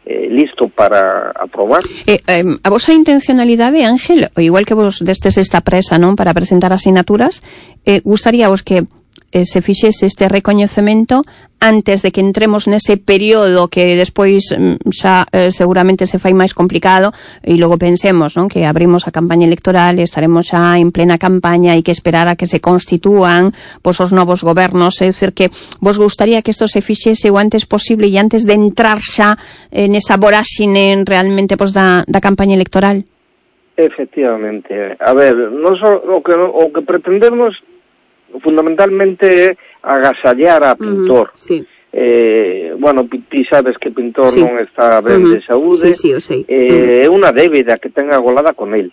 Eh, listo para aprobar. Eh, eh, a vosa intencionalidade, Ángel, o igual que vos destes esta presa, non, para presentar asinaturas, eh, gustaríavos que eh, se fixese este recoñecemento antes de que entremos nese período que despois xa eh, seguramente se fai máis complicado e logo pensemos, non, que abrimos a campaña electoral e estaremos xa en plena campaña e que esperar a que se constitúan pois os novos gobernos, é dicir que vos gustaría que isto se fixese o antes posible e antes de entrar xa en esa voráxine realmente pois da, da campaña electoral. Efectivamente. A ver, nos, o, que, o que pretendemos fundamentalmente é agasallar a Pintor. Uh-huh, sí. Eh, bueno, ti sabes que Pintor sí. non está ben uh-huh. de saúde. Sí, sí, eu sei. É eh, uh-huh. unha débeda que ten a Golada con el.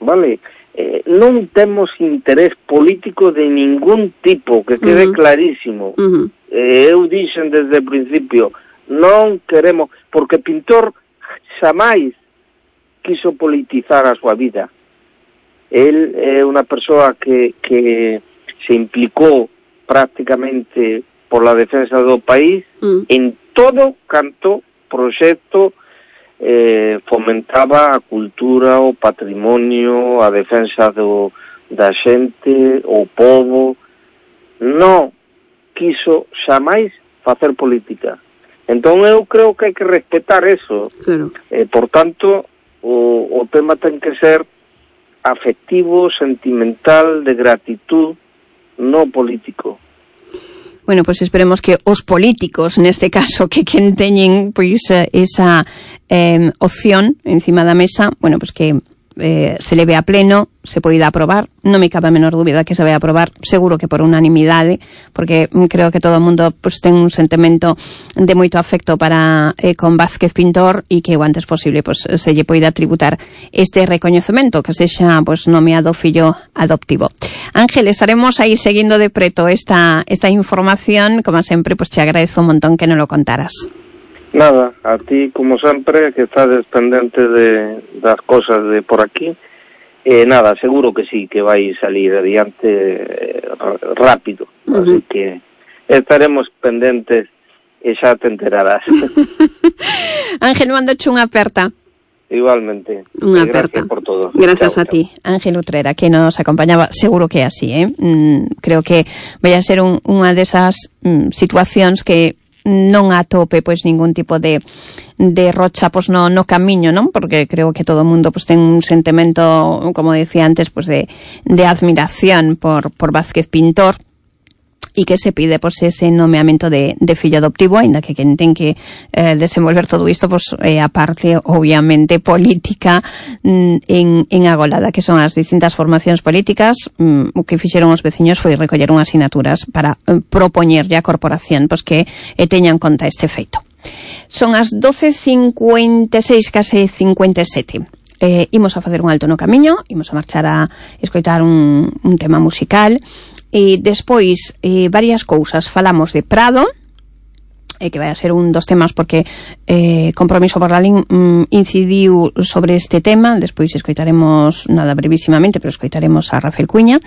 Vale? eh, non temos interés político de ningún tipo, que quede uh-huh. clarísimo. Uh-huh. Eh, eu dixen desde o principio, non queremos, porque Pintor xamais quiso politizar a súa vida. El é unha persoa que, que se implicou prácticamente por la defensa do país mm. en todo canto proxecto eh, fomentaba a cultura, o patrimonio, a defensa do, da xente, o povo. Non quiso xamais facer política. Entón eu creo que hai que respetar eso. Claro. Eh, por tanto, o, o tema ten que ser afectivo, sentimental, de gratitud, no político. Bueno, pois pues esperemos que os políticos, neste caso, que quen teñen pois esa eh, opción encima da mesa, bueno, pois pues que eh, se leve a pleno, se poida aprobar. Non me cabe a menor dúbida que se vai a aprobar, seguro que por unanimidade, porque creo que todo o mundo pues, ten un sentimento de moito afecto para eh, con Vázquez Pintor e que o antes posible pues, se lle poida tributar este recoñecemento, que sexa pues, nomeado fillo adoptivo. Ángel, estaremos aí seguindo de preto esta, esta información, como sempre, pues te agradezo un montón que non lo contaras. Nada, a ti, como sempre, que estás pendente de, das cosas de por aquí, eh, nada, seguro que sí, que vai salir adiante eh, rápido, uh-huh. Así que estaremos pendentes e xa te enterarás. Ángel, mandoche unha aperta. Igualmente. Unha aperta. Gracias por todo. Gracias chao, a ti, chao. Ángel Utrera, que nos acompañaba. Seguro que é así, eh? Mm, creo que vai a ser un, unha desas mm, situacións que non atope pois ningún tipo de de rocha pois no no camiño, non? Porque creo que todo o mundo pois ten un sentimento, como decía antes, pois de de admiración por por Vázquez Pintor. E que se pide pois ese nomeamento de, de fillo adoptivo, aínda que quen ten que eh, desenvolver todo isto pois é a parte obviamente política mm, en, en Agolada, que son as distintas formacións políticas. Mm, o que fixeron os veciños foi recoller unhas sinaturas para eh, propoñerlle á corporación pois que eh, teña en conta este feito. Son as doce cincuenta e seis, case cincuenta e sete. Eh, imos a facer un alto no camiño, imos a marchar a escoitar un, un tema musical e despois eh, varias cousas. Falamos de Prado, eh, que vai a ser un dos temas porque eh, Compromiso por la Lin mm, incidiu sobre este tema. Despois escoitaremos, nada brevísimamente, pero escoitaremos a Rafael Cuña.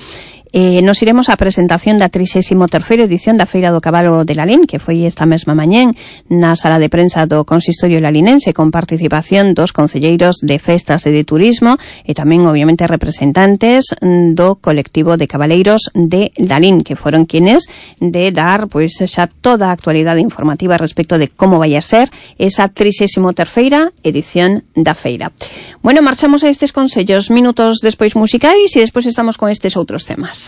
Eh, nos iremos á presentación da trixésima terceira edición da Feira do Cabalo de Lalín, que foi esta mesma mañén na sala de prensa do Consistorio Lalinense, con participación dos concelleiros de festas e de turismo e tamén, obviamente, representantes do colectivo de cabaleiros de Lalín, que foron quienes de dar pois xa toda a actualidade informativa respecto de como vai a ser esa trixésima terceira edición da feira. Bueno, marchamos a estes consellos minutos despois musicais e despois estamos con estes outros temas.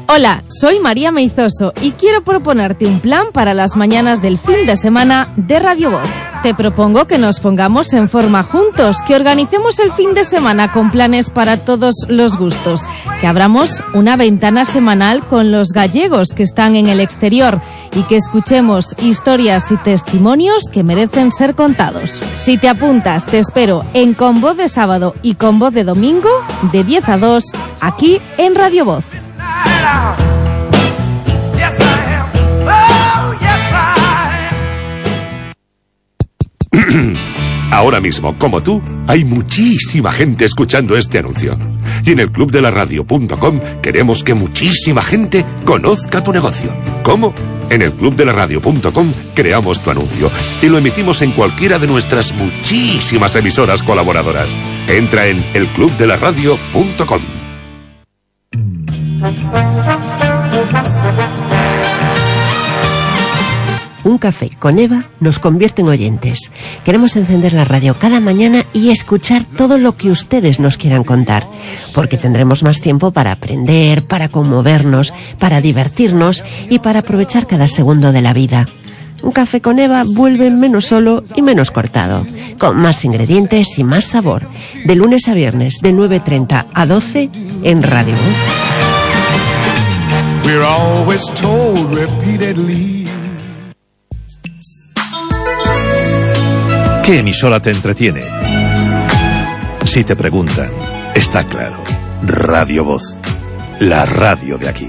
Hola, soy María Meizoso y quiero proponerte un plan para las mañanas del fin de semana de Radio Voz. Te propongo que nos pongamos en forma juntos, que organicemos el fin de semana con planes para todos los gustos, que abramos una ventana semanal con los gallegos que están en el exterior y que escuchemos historias y testimonios que merecen ser contados. Si te apuntas, te espero en Con Voz de sábado y Con Voz de domingo, de diez a dos, aquí en Radio Voz. Ahora mismo, como tú, hay muchísima gente escuchando este anuncio. Y en el club de la radio punto com queremos que muchísima gente conozca tu negocio. ¿Cómo? En el club de la radio punto com creamos tu anuncio y lo emitimos en cualquiera de nuestras muchísimas emisoras colaboradoras. Entra en el club de la radio punto com. Un café con Eva nos convierte en oyentes. Queremos encender la radio cada mañana y escuchar todo lo que ustedes nos quieran contar, porque tendremos más tiempo para aprender, para conmovernos, para divertirnos y para aprovechar cada segundo de la vida. Un café con Eva vuelve menos solo y menos cortado, con más ingredientes y más sabor. De lunes a viernes, de nueve treinta a doce, en Radio We're always told repeatedly. ¿Qué emisora te entretiene? Si te preguntan, está claro. Radio Voz, la radio de aquí.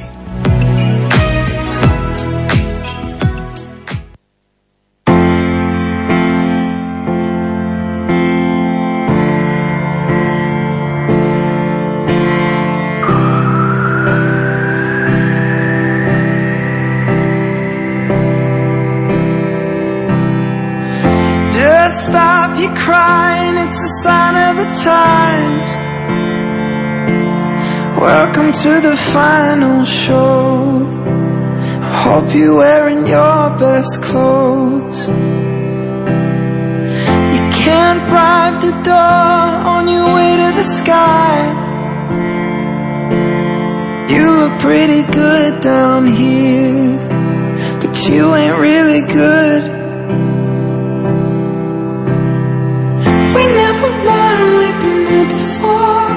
Stop your crying, it's a sign of the times. Welcome to the final show. I hope you're wearing your best clothes. You can't bribe the door on your way to the sky. You look pretty good down here, but you ain't really good. We never learned, we've been here before.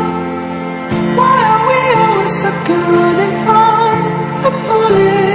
Why are we always stuck and running from the bullet?